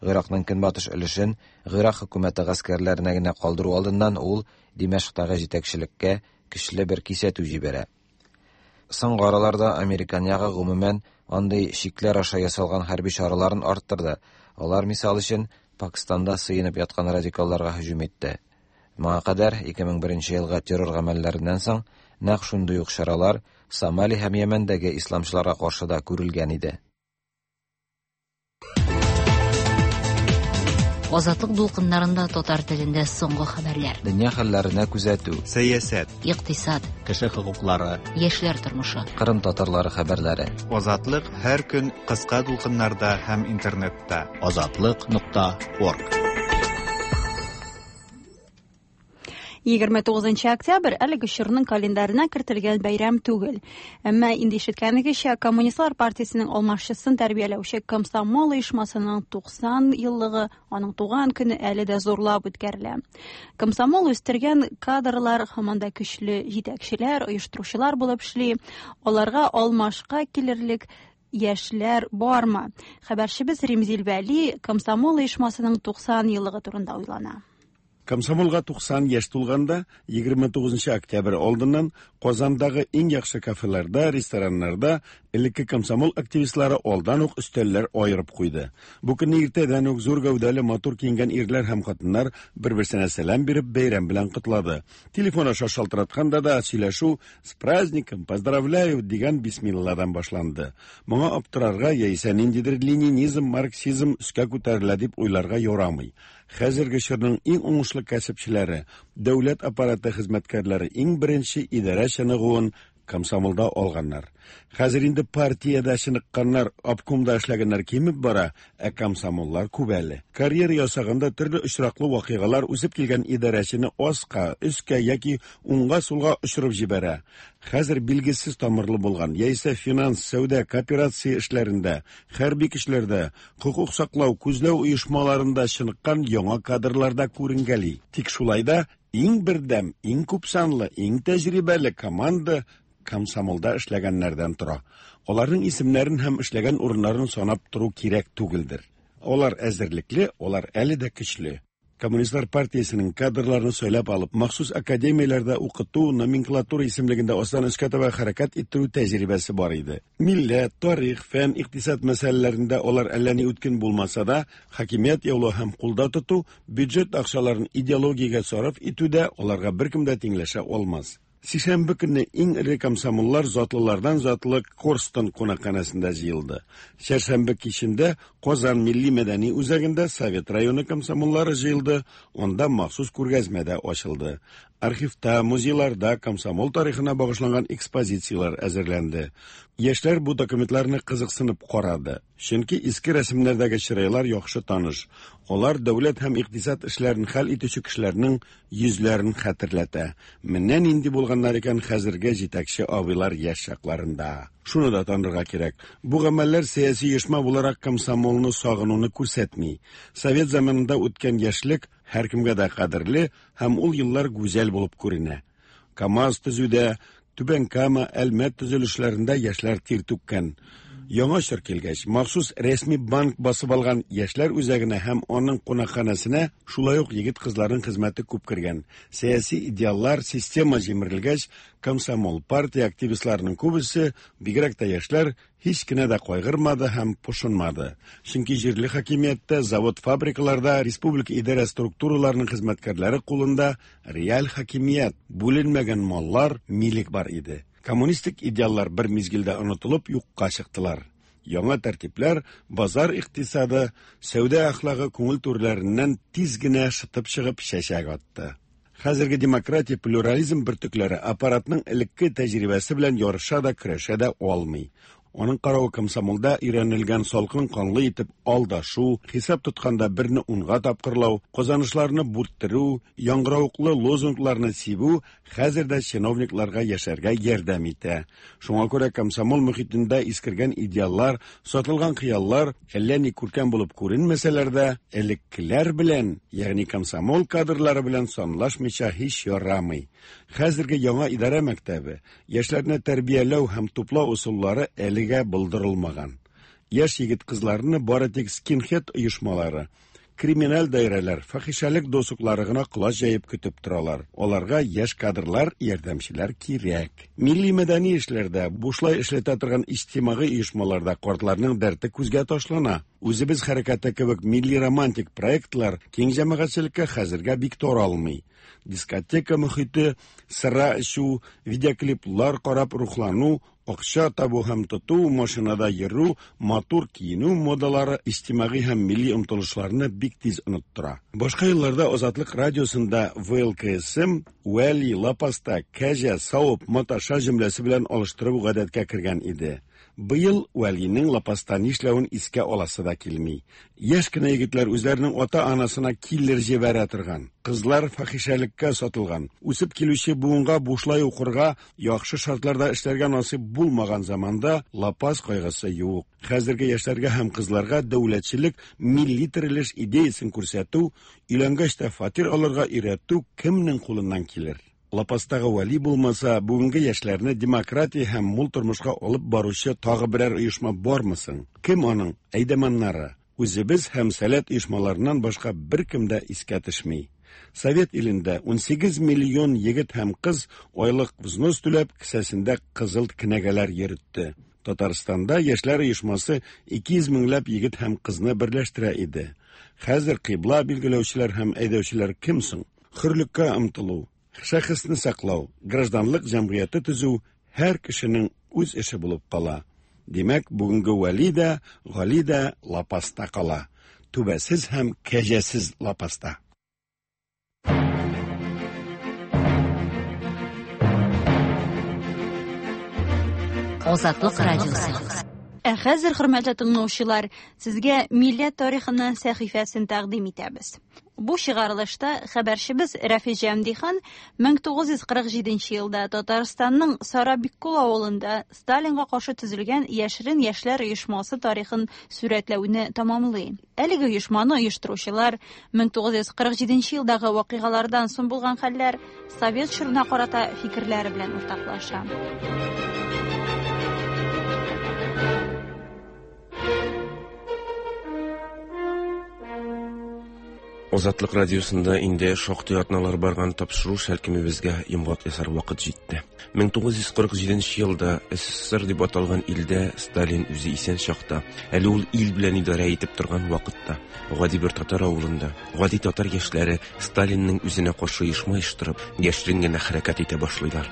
Гыйракның көнбатыш өлешен Гыйрак хөкүмәте гаскәрләренә генә калдыру алдыннан ул Димәшктагы җитәкчелеккә көчле бер кисәтү җибәрә. Соңгы араларда американ ягы гомумән андый чикләр аша ясалган хәрби чараларын арттырды. Алар, мисал өчен, Пакистанда сыенып яткан радикалларга һөҗүм итте. Моңа кадәр ике мең беренче елгы террор гамәлләреннән соң нәкъ шундый ук чаралар Сомали һәм Йәмәндәге исламчыларга каршы да күрелгән иде. Азатлык дулкыннарында татар телендә соңгы хәбәрләр. Дөнья хәлләренә күзәтү, сәясәт, икътисад, кеше хокуклары, яшьләр тормышы, Кырым татарлары хәбәрләре. Азатлык һәр көн кыска дулкыннарда һәм интернетта. Азатлык нокта орг. егерме тугызынчы октябрь әлеге чорның календарына кертелгән бәйрәм түгел. Әмма инде ишеткәнегезчә, Коммунистлар партиясенең алмашчысын тәрбияләүче Комсомол оешмасының туксан еллыгы, аның туган көне әле дә зурлап үткәрелә. Комсомол үстергән кадрлар һаман да көчле җитәкчеләр, оештыручылар булып эшли. Аларга алмашка килерлек яшьләр бармы? Хәбәрчебез Римзил Вәли Комсомол оешмасының туксан еллыгы турында уйлана. Комсомолга туксан яшь тулганда, егерме тугызынчы октябрь алдыннан Казандагы иң яхшы кафеларда, рестораннарда элекке комсомол активистлары алдан ук өстәлләр аерып куйды. Бу көнне иртәдән үк зур гәүдәле матур киенгән ирләр һәм хатыннар бер-берсенә сәлам биреп бәйрәм белән котлады. Телефон аша шалтыратканда да сөйләшү «С праздником, поздравляю» дигән бисмилладан башланды. Моңа аптырарга яисә ниндидер ленинизм, марксизм өскә күтәрелә дип уйларга ярамый. Хәзерге чорның иң уңышлы кәсепчеләре, дәүләт аппараты хезмәткәрләре иң беренче идарә чыныгуын комсомолда алганнар. Хәзер инде партиядә чыныкканнар, обкомда эшләгәннәр кимеп бара, ә комсомоллар күп әле. Карьера ясаганда төрле очраклы вакыйгалар үсеп килгән идарәчене аска, өскә яки уңга-сулга очырып җибәрә. Хәзер билгесез тамырлы булган, яисә финанс, сәүдә, кооперация эшләрендә, хәрби көчләрдә, хокук саклау, күзләү оешмаларында чыныккан яңа кадрлар да күренгәли. Тик шулай да иң бердәм, иң күпсанлы, иң тәҗрибәле команда комсомолда эшләгәннәрдән тора. Аларның исемнәрен һәм эшләгән урыннарын санап тору кирәк түгелдер. Алар әзерлекле, алар әле дә көчле. Коммунистлар партиясенең кадрларын сайлап алып, махсус академияләрдә укыту, номенклатура исемлегендә астан өскә таба хәрәкәт иттерү тәҗрибәсе бар иде. Милләт, тарих, фән, икътисад мәсьәләләрендә алар әллә ни үткен булмаса да, хакимият яулау һәм кулда тоту, бюджет акчаларын идеологиягә сарыф итүдә аларга беркем дә тиңләшә алмас. Сишәмбе көнне иң эре комсомоллар затлылардан затлы Корстон кунакханәсендә җыелды. Чәршәмбе кичендә Казан милли мәдәни үзәгендә Совет районы комсомоллары җыелды, анда махсус күргәзмә дә ачылды. Архивта, музейларда комсомол тарихына багышланган экспозицияләр әзерләнде. Яшьләр бу документларны кызыксынып карады. Чөнки иске рәсемнәрдәге чырайлар яхшы таныш. Алар дәүләт һәм икътисад эшләрен хәл итүче кешеләрнең йөзләрен хәтерләтә. Менә нинди булганнар икән хәзерге җитәкче абыйлар яшь чакларында. Шуны да танырга кирәк. Бу гамәлләр сәяси оешма буларак комсомолны сагынуны күрсәтми. Совет заманында үткән яшьлек һәркемгә дә кадерле һәм ул еллар гүзәл булып күренә. КАМАЗ төзүдә, Түбән Кама, Әлмәт төзелешләрендә яшьләр тир түккән. Яңа чор килгәч, махсус рәсми банк басып алган яшьләр үзәгенә һәм аның кунакханәсенә шулай ук егет-кызларның хезмәте күп кергән. Сәяси идеаллар, система җимерелгәч, комсомол, партия активистларының күбесе, бигрәк тә яшьләр, һич кенә дә кайгырмады һәм пошынмады. Чөнки җирле хакимияттә, завод-фабрикаларда, республика идарә структураларының хезмәткәрләре кулында реаль хакимият, бүленмәгән маллар, милек бар иде. Коммунистик идеаллар бер мизгелдә онытылып юкка чыктылар. Яңа тәртипләр, базар икътисады, сәүдә әхлагы күңел түрләреннән тиз генә шытып чыгып чәчәк атты. Хәзерге демократия, плюрализм бөртекләре аппаратның элекке тәҗрибәсе белән ярыша да, көрәшә дә алмый. Аның каравы комсомолда өйрәнелгән салкын канлы итеп алдашу, хисап тотканда берне унга тапкырлау, казанышларны бүрттерү, яңгыравыклы лозунгларны сибү хәзер дә чиновникларга яшәргә ярдәм итә. Шуңа күрә комсомол мөхитендә искергән идеаллар, сатылган хыяллар әллә ни күркәм булып күренмәсәләр дә, элеккеләр белән, ягъни комсомол кадрлары белән санлашмыйча һич ярамый. Хәзерге яңа идарә мәктәбе, яшьләрне тәрбияләү һәм туплау ысуллары әлегә булдырылмаган. Яшь егет кызларны бары тик скинхед оешмалары, криминаль даирәләр, фахишәлек досуклары гына колач җәеп көтеп торалар. Аларга яшь кадрлар, ярдәмчеләр кирәк. Милли мәдәни эшләрдә, бушлай эшләтә торган иҗтимагый оешмаларда картларның дәрте күзгә ташлана. Үзебез хәрәкәте кебек милли романтик проектлар киң җәмәгатьчелеккә хәзергә бик таралмый. Дискотека мөхите, сыра эчү, видеоклиплар карап рухлану, акча табу һәм тоту, машинада йөрү, матур киенү модалары иҗтимагый һәм милли омтылышларны бик тиз оныттыра. Башка елларда Азатлык радиосында вэ эл ка эс эм Вәли, Лапаста, Кәҗә, Савып, Маташа җөмләсе белән алыштырып гадәткә кергән иде. Быел Вәлинең лапаста нишләвен искә аласы да килми. Яшь кенә егетләр үзләренең ата-анасына киллер җибәрә торган, кызлар фахишәлеккә сатылган, үсеп килүче буынга бушлай укырга, яхшы шартларда эшләргә насыйп булмаган заманда лапас кайгысы юк. Хәзерге яшьләргә һәм кызларга дәүләтчелек, милли терелеш идеясын күрсәтү, өйләнгәч тә фатир алырга өйрәтү кемнең кулыннан килер? Лапастагы Вәли булмаса, бүгенге яшьләрне демократия һәм мул тормышка алып баручы тагы берәр оешма бармы соң? Кем аның әйдәманнары? Үзебез һәм Сәләт оешмаларыннан башка беркем дә искә төшми. Совет илендә ун сигез миллион егет һәм кыз айлык взнос түләп кесәсендә кызыл кенәгәләр йөртте. Татарстанда яшьләр оешмасы ике йөз меңләп егет һәм кызны берләштерә иде. Хәзер кыйбла билгеләүчеләр һәм әйдәүчеләр кем соң? Хөрлеккә омтылу, шәхесне саклау, гражданлык җәмгыяте төзү һәр кешенең үз эше булып кала. Димәк, бүгенге Вәли дә, Гали дә лапаста кала. Түбәсез һәм кәҗәсез лапаста. Азатлык радиосы. Ә хәзер, хөрмәтле тыңлаучылар, сезгә милләт тарихының сәхифәсен тәкъдим итәбез. Бу чыгарылышта хәбәрчебез Рәфис Җәмдихан мең тугыз йөз кырык җиденче елда Татарстанның Сарабиккол авылында Сталинга каршы төзелгән яшерен яшьләр оешмасы тарихын сурәтләүне тәмамлый. Әлеге оешманы оештыручылар мең тугыз йөз кырык җиденче елдагы вакыйгалардан соң булган хәлләр совет чорына карата фикерләре белән уртаклаша. Азатлык радиосында инде шактый атналар барган тапшыру шәлкемебезгә йомгак ясар вакыт җитте. мең тугыз йөз кырык җиденче елда эс эс эс эр дип аталган илдә Сталин үзе исән чакта, әле ул ил белән идарә итеп торган вакытта, гади бер татар авылында, гади татар яшьләре Сталинның үзенә каршы оешма оештырып, яшерен генә хәрәкәт итә башлыйлар.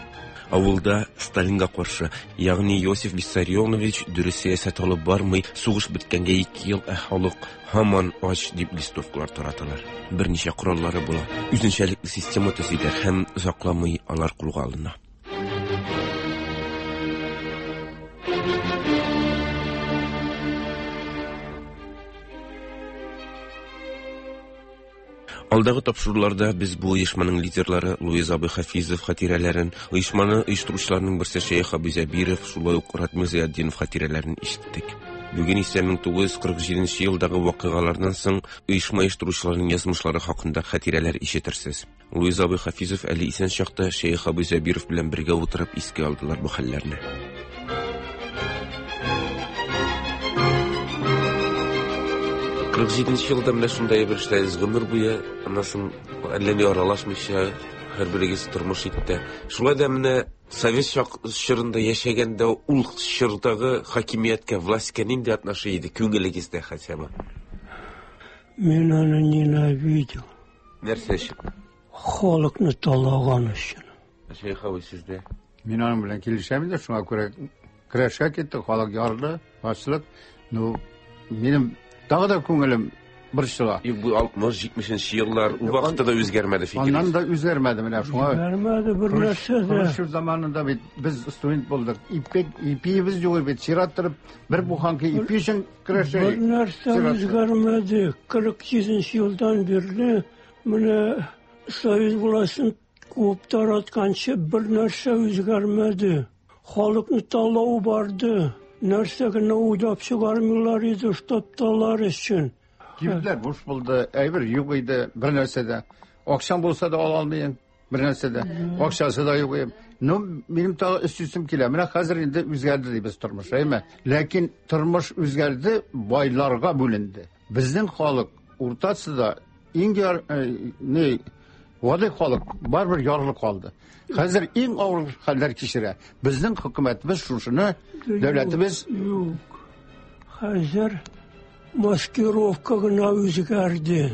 Авылда Сталинга каршы, ягъни Иосиф Виссарионович дөрес сәясәт алып бармый, сугыш беткәнгә ике ел, ә халык һаман ач дип листовкалар тараталар. Берничә кораллары була. Үзенчәлекле система төзиләр һәм озакламый алар кулга алына. Алдагы тапшыруларда без бу оешманың лидерлары Луиз абый Хафизов хатирәләрен, оешманы оештыручыларның берсе Шәех абый Зәбиров, шулай ук Ратмир Зыятдинов хатирәләрен ишеттек. Бүген исә мең тугыз йөз кырык җиденче елдагы вакыйгалардан соң оешма оештыручыларның язмышлары хакында хатирәләр ишетерсез. Луиз абый Хафизов әле исән чакта Шәех абый Зәбиров белән бергә утырып искә алдылар бу хәлләрне. Кырык җиденче елда менә шундай бер эшләдегез гомер буе, аннан соң әллә ни аралашмыйча һәрберегез тормыш итте. Шулай да менә совет чорында яшәгәндә ул чордагы хакимияткә, властька нинди отношение иде күңелегездә хотя бы? Мин аны ненавидел. Нәрсә өчен? Халыкны талаган өчен. Шәех абый, сездә? Мин аның белән килешәм инде, шуңа күрә көрәшкә киттек, халык ярды, ачлык. Ну, минем тагы да күңелем борчыла. Юк, бу алтмыш җитмешенче еллар, ул вакытта да үзгәрмәде фикерегез. Аннан да үзгәрмәде менә шуңа. Үзгәрмәде бер нәрсә дә. Хрущев заманында бит без студент булдык. Ипек, ипиебез юк бит, чират торып бер буханка ипи өчен көрәшә. Бер нәрсә үзгәрмәде. Кырык җиденче елдан бирле менә Союз властен Куып таратканчы бер нәрсә үзгәрмәде. Халыкны талау барды. Нәрсә генә уйлап чыгармыйлар иде, чтоб талар өчен. Кибетләр буш булды, әйбер юк иде, бер нәрсә дә. Акчам булса да ала алмыйм, бер нәрсә дә. Акчасы да юк иде. Ну, минем тагы өстисем килә. Менә хәзер инде үзгәрде дибез тормыш, әйме? Ләкин тормыш үзгәрде, байларга бүленде. Безнең халык уртасында иң яр, не, гади халык барыбер ярлы калды. Хәзер иң авыр хәлләр кичерә. Безнең хөкүмәтебез шушыны, дәүләтебез юк. Хәзер маскировка гына үзгәрде.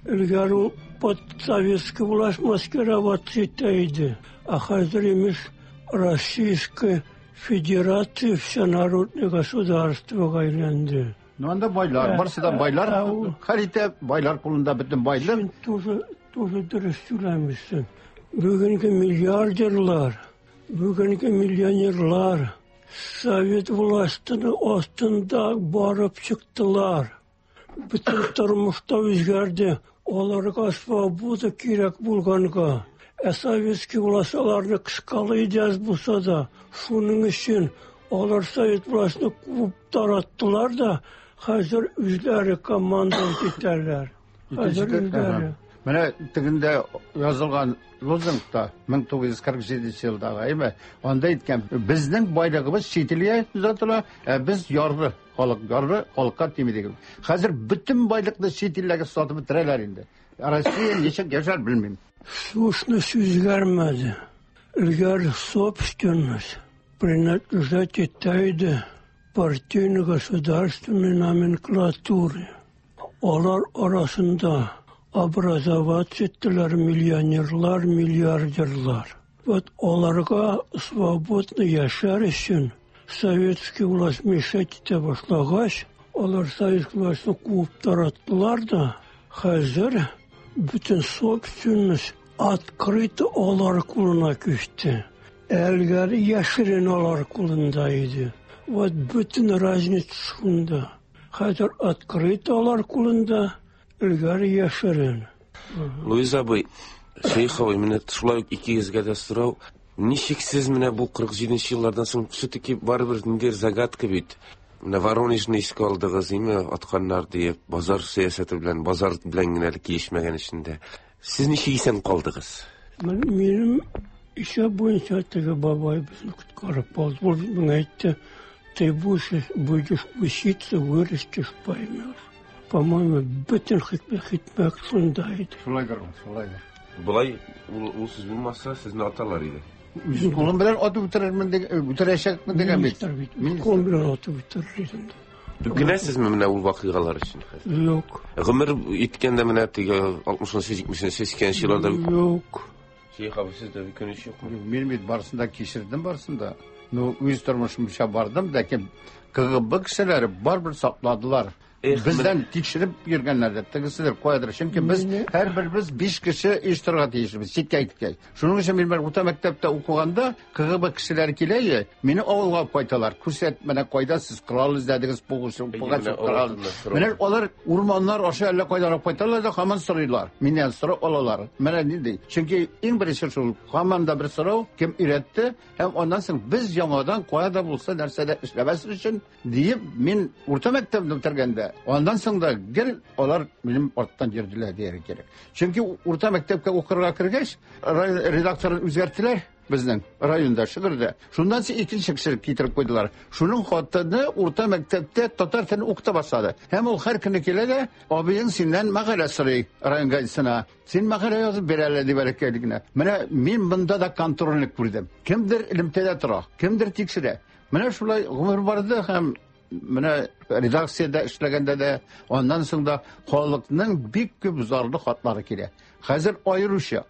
Элгәре ул под советский власть маскироваться итә иде. А хәзер имеш Российская Федерация всенародное государствога әйләнде. Ну, анда байлар, барысы да байлар, хәл итә, байлар кулында бөтен байлык. Син тоже, тоже дөрес сөйләмисең. Бүгенге миллиардерлар, бүгенге миллионерлар совет властының астында барып чыктылар. Бөтен тормышта үзгәрде. Аларга свобода кирәк булганга. Ә советский власть аларны кыскалый иде аз булса да. Шуның өчен алар совет властьны куып тараттылар да, хәзер үзләре командовать итәләр. Хәзер үзләре. Менә тегендә язылган лозунгта мең тугыз йөз кырык җиденче елдагы, әйме? Анда әйткән, безнең байлыгыбыз чит илгә озатыла, ә без ярлы халык, ярлы халыкка тими дигән. Хәзер бөтен байлыкны чит илләргә сатып бетерәләр инде. Россия ничек яшәр белмим. Сущность үзгәрмәде. Элгәре собственность принадлежать итә иде партийно-государственной номенклатуре. Алар арасында образоваться иттеләр миллионерлар, миллиардерлар. Вот аларга свободно яшәр өчен советский власть мешать итә башлагач, алар советский властьны куып тараттылар да, хәзер бөтен собственность открыто алар кулына күчте. Элгәре яшерен алар кулында иде. Вот бөтен разница шунда. Хәзер открыто алар кулында, элгәре яшерен. Луиз абый, Шәех абый, менә шулай ук икегезгә дә сорау. Ничек сез менә бу кырык җиденче еллардан соң все-таки барыбер ниндидер загадка бит. Менә Воронежны искә алдыгыз, име, атканнар диеп, базар сәясәте белән, базар белән генә әле килешмәгән эчендә. Сез ничек исән калдыгыз? Минем исәп буенча теге бабай безне коткарып алды. Ул миңа әйтте, ты будешь, будешь учиться, вырастешь, поймешь. По-моему, бөтен хикмәт шунда иде. Шулайдыр, шулайдыр. Болай ул, ул сүз булмаса, сезне аталар иде. Үз кулым белән атып үтерермен дигән, үтерәчәкмен дигән бит. Кулым белән атып үтерер идем. Үкенәсезме менә ул вакыйгалар өчен хәзер? Юк. Гомер иткәндә менә теге алтмышынчы, җитмешенче, сиксәненче елларда Юк. Шәех абый, сездә үкенеч юкмы? Мин бит барысын да кичердем, барысын да. Ну, үз тормышымча бардым, ләкин КГБ кешеләре барыбер сакладылар. Бездән тикшереп йөргәннәр, тегеседер, каядыр. Чөнки без һәрберебез биш кеше оештырырга тиешбез, читкә киткәч. Шуның өчен мин бер урта мәктәптә укыганда КГБ кешеләре килә иде, мине авылга алып кайталар. Күрсәт, менә кайда сез корал эзләдегез, корал. Менә алар урманнар аша әллә кайдан алып кайталар да һаман сорыйлар. Миннән сорап алалар. Менә нинди. Чөнки иң беренче шул һаман да бер сорау, кем өйрәтте һәм аннан соң без яңадан кая да булса нәрсә дә эшләмәс өчен диеп мин урта мәктәпне бетергәндә Андан соң да гел алар минем арттан йөрделәр дияргә кирәк. Чөнки урта мәктәпкә укырга кергәч, редакторын үзгәрттеләр безнең районда, Шөгердә. Шуннан соң икенче кеше китереп куйдылар. Шуның хатыны урта мәктәптә татар телен укыта башлады. Һәм ул һәр көнне килә дә, абыең синнән мәкалә сорый район газетасына. Син мәкалә язып бир әле дип әйткән генә. Менә мин монда да контрольлек күрдем. Кемдер элемтәдә тора, кемдер тикшерә. Менә шулай гомер барды һәм менә редакциядә эшләгәндә дә, аннан соң да халыкның бик күп зарлы хатлары килә. Хәзер аеруча.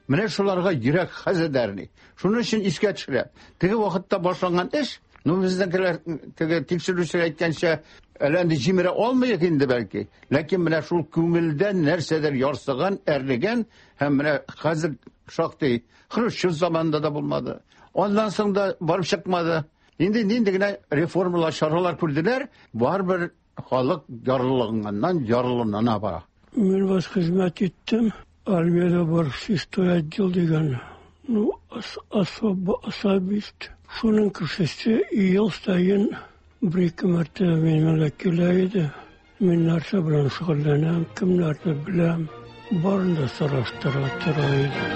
Менә шуларга йөрәк хәзер дәрни. Шуның өчен искә төшерә. Теге вакытта башланган эш, ну безнекеләр теге тикшерүчеләр әйткәнчә, әле инде җимерә алмыйк инде бәлки. Ләкин менә шул күңелдән нәрсәдер ярсыган, әрлегән һәм менә хәзер шактый Хрущев заманында да булмады. Аннан соң да барып чыкмады. Инде нинди генә реформалар, чаралар күрделәр, барыбер халык ярлылыгыннан ярлылана бара. Мин вас хезмәт иттем. Армиядә бар шестой отдел дигән Ну, особо особист. Шуның кешесе ел саен бер-ике мәртәбә минем килә иде. Мин нәрсә белән шөгыльләнәм, кемнәрне беләм, барын да сораштыра тора иде.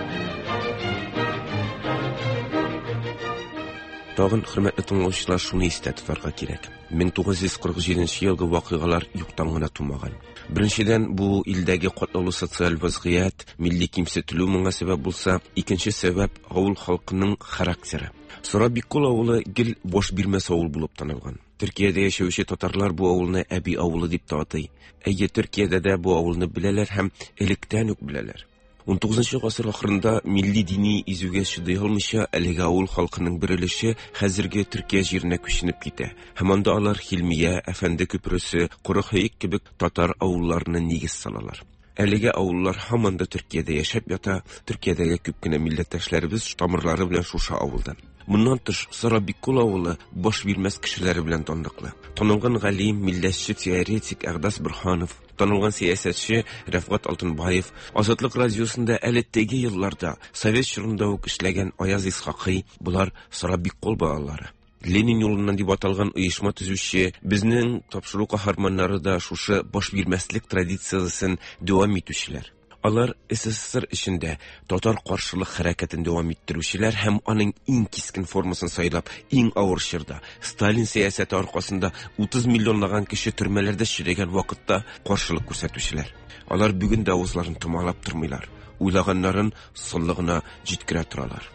Тагын, хөрмәтле тыңлаучылар, шуны истә тотарга кирәк. мең тугыз йөз кырык җиденче елгы вакыйгалар юктан гына тумаган. Беренчедән, бу илдәге катлаулы социаль вазгыять, милли кимсетелү моңа сәбәп булса, икенче сәбәп авыл халкының характеры. Сарабиккол авылы гел баш бирмәс авыл булып танылган. Төркиядә яшәүче татарлар бу авылны Әби авылы дип тә атый. Әйе, Төркиядә дә бу авылны беләләр һәм электән үк беләләр. ун тугызынчы гасыр ахырында милли дини изүгә чыдый алмыйча әлеге авыл халкының бер өлеше хәзерге Төркия җиренә күченеп китә. Һәм анда алар Хилмия, Әфәнде күпересе, Корыхөек кебек татар авылларына нигез салалар. Әлеге авыллар һаман да Төркиядә яшәп ята. Төркиядәге күп кенә милләттәшләребез тамырлары белән шушы авылдан. Моннан тыш, Сарабиккол авылы баш бирмәс кешеләре белән данлыклы. Танылган галим, милләтче, теоретик Әгъдас Борһанов, танылган сәясәтче Рәфгать Алтынбаев, Азатлык радиосында әле теге елларда совет чорында ук эшләгән Аяз Исхакый, болар Сарабиккол балалары. Ленин юлыннан дип аталган оешма төзүче, безнең тапшыру каһарманнары да шушы баш бирмәслек традициясен дәвам итүчеләр. Алар СССР эчендә татар каршылык хәрәкәтен дәвам иттерүчеләр һәм аның иң кискен формасын сайлап, иң авыр чорда Сталин сәясәте аркасында утыз миллионлаган кеше төрмәләрдә черегән вакытта каршылык күрсәтүчеләр. Алар бүген дә авызларын томалап тормыйлар, уйлаганнарын сонлыгына җиткерә торалар.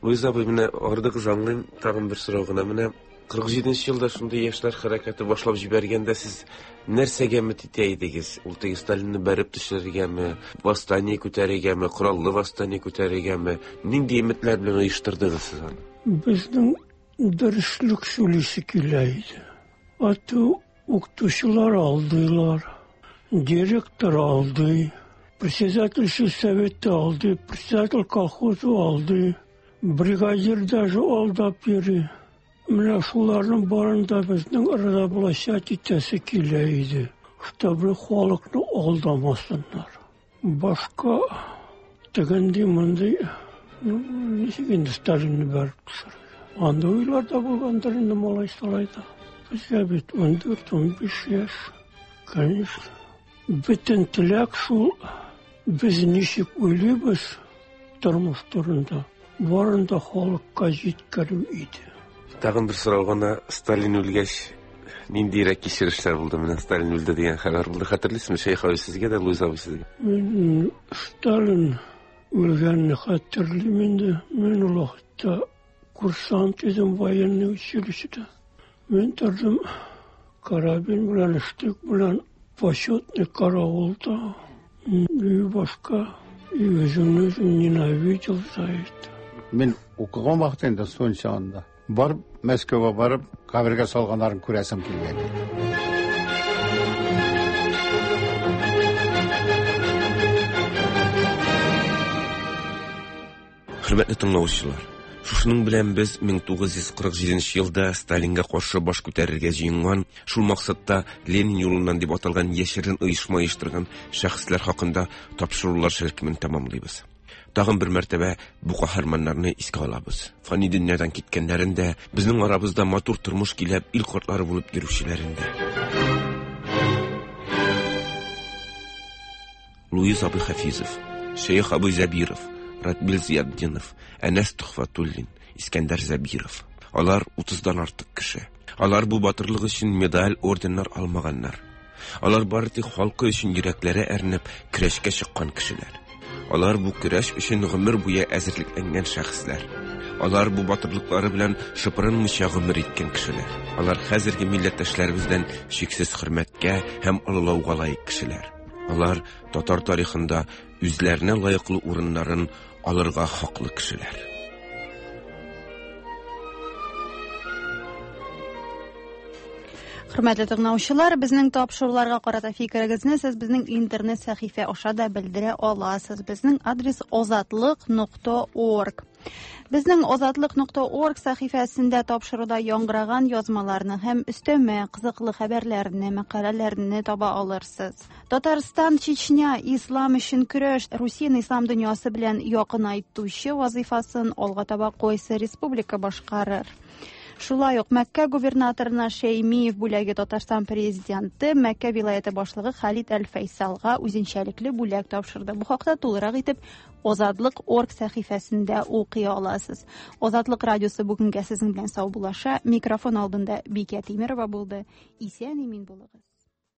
Луиза абый, менә ардыгыз аңлыйм, тагын бер сорау гына. Менә кырык җиденче елда шундый яшьләр хәрәкәте башлап җибәргәндә сез нәрсәгә өмет итә идегез? Ул теге Сталинны бәреп төшерергәме, восстание күтәрергәме, кораллы восстание күтәрергәме? Нинди өметләр белән оештырдыгыз сез аны? Безнең дөреслек сөйлисе килә иде. Ату укытучылар алдылар, директор алды, председатель сельсовета алды, председатель колхоза алды, бригадир даже алдап йөри. Менә шуларның барын да безнең разоблачать итәсе килә иде, чтобы халыкны алдамасыннар. Башка тегенди мондый, ну, ничек инде Сталинны бәреп төшерергә. Анда уйлар да булгандыр инде малай-салайда. Безгә бит ун дүрт, ун биш яшь, конечно. Бөтен теләк шул, без ничек уйлыйбыз тормыш турында, барын да халыкка җиткерү иде. Тагын бер сорау гына, Сталин үлгәч ниндирәк кичерешләр булды? Менә Сталин үлде дигән хәбәр булды. Хәтерлисезме, Шәех абый сезгә дә, Луиза абый сезгә? Мин Сталин үлгәнне хәтерлим инде. Мин ул вакытта курсант идем военный училищеда. Мин тордым карабин белән, штык белән почетный караулда. И башка, и үземне үзем ненавидел за это. Мин укыган вакытта инде студент чагында барып, Мәскәүгә барып, кабергә салганнарын күрәсем килгән иде. Хөрмәтле тыңлаучылар, шушының белән без мең тугыз йөз кырык җиденче елда Сталинга каршы баш күтәрергә җыенган, шул максатта Ленин юлыннан дип аталган яшерен оешма оештырган шәхесләр хакында тапшырулар шәлкемен тәмамлыйбыз. Тагын бер мәртәбә бу каһарманнарны искә алабыз. Фани дөньядан киткәннәрен дә, безнең арабызда матур тормыш киләп, ил картлары булып йөрүчеләрен дә. Луиз абый Хафизов, Шәех абый Зәбиров, Радмил Зиятдинов, Әнәс Төхфәтуллин, Искәндәр Зәбиров. Алар утыздан артык кеше. Алар бу батырлык өчен медаль, орденнар алмаганнар. Алар бары тик халкы өчен йөрәкләре әрнеп, көрәшкә чыккан кешеләр. Алар бу көрәш өчен гомер буе әзерлекләнгән шәхесләр. Алар бу батырлыклары белән шыпырынмыйча гомер иткән кешеләр. Алар хәзерге милләттәшләребездән чиксез хөрмәткә һәм олылауга лаек кешеләр. Алар татар тарихында үзләренә лаеклы урыннарын алырга хаклы кешеләр. Хөрмәтле тыңлаучылар, безнең тапшыруларга карата фикерегезне сез безнең интернет сәхифә аша да белдерә аласыз. Безнең адрес озатлык нокта орг. Безнең Азатлык нокта орг сәхифәсендә тапшыруда яңгыраган язмаларны һәм өстәмә кызыклы хәбәрләрне, мәкаләләрне таба алырсыз. Татарстан, Чечня, ислам өчен көрәш, Русияне ислам дөньясы белән якынайтучы вазифасын алга таба кайсы республика башкарыр? Шулай ук Мәккә губернаторына Шәймиев бүләге Татарстан президенты Мәккә вилаяте башлыгы Халид Әл-Фәйсалга үзенчәлекле бүләк тапшырды. Бу хакта тулырак итеп Азатлык орг сәхифәсендә укый аласыз. Азатлык радиосы бүгенгә сезнең белән саубуллаша. Микрофон алдында Бикә Тимерова булды. Исән имин булыгыз.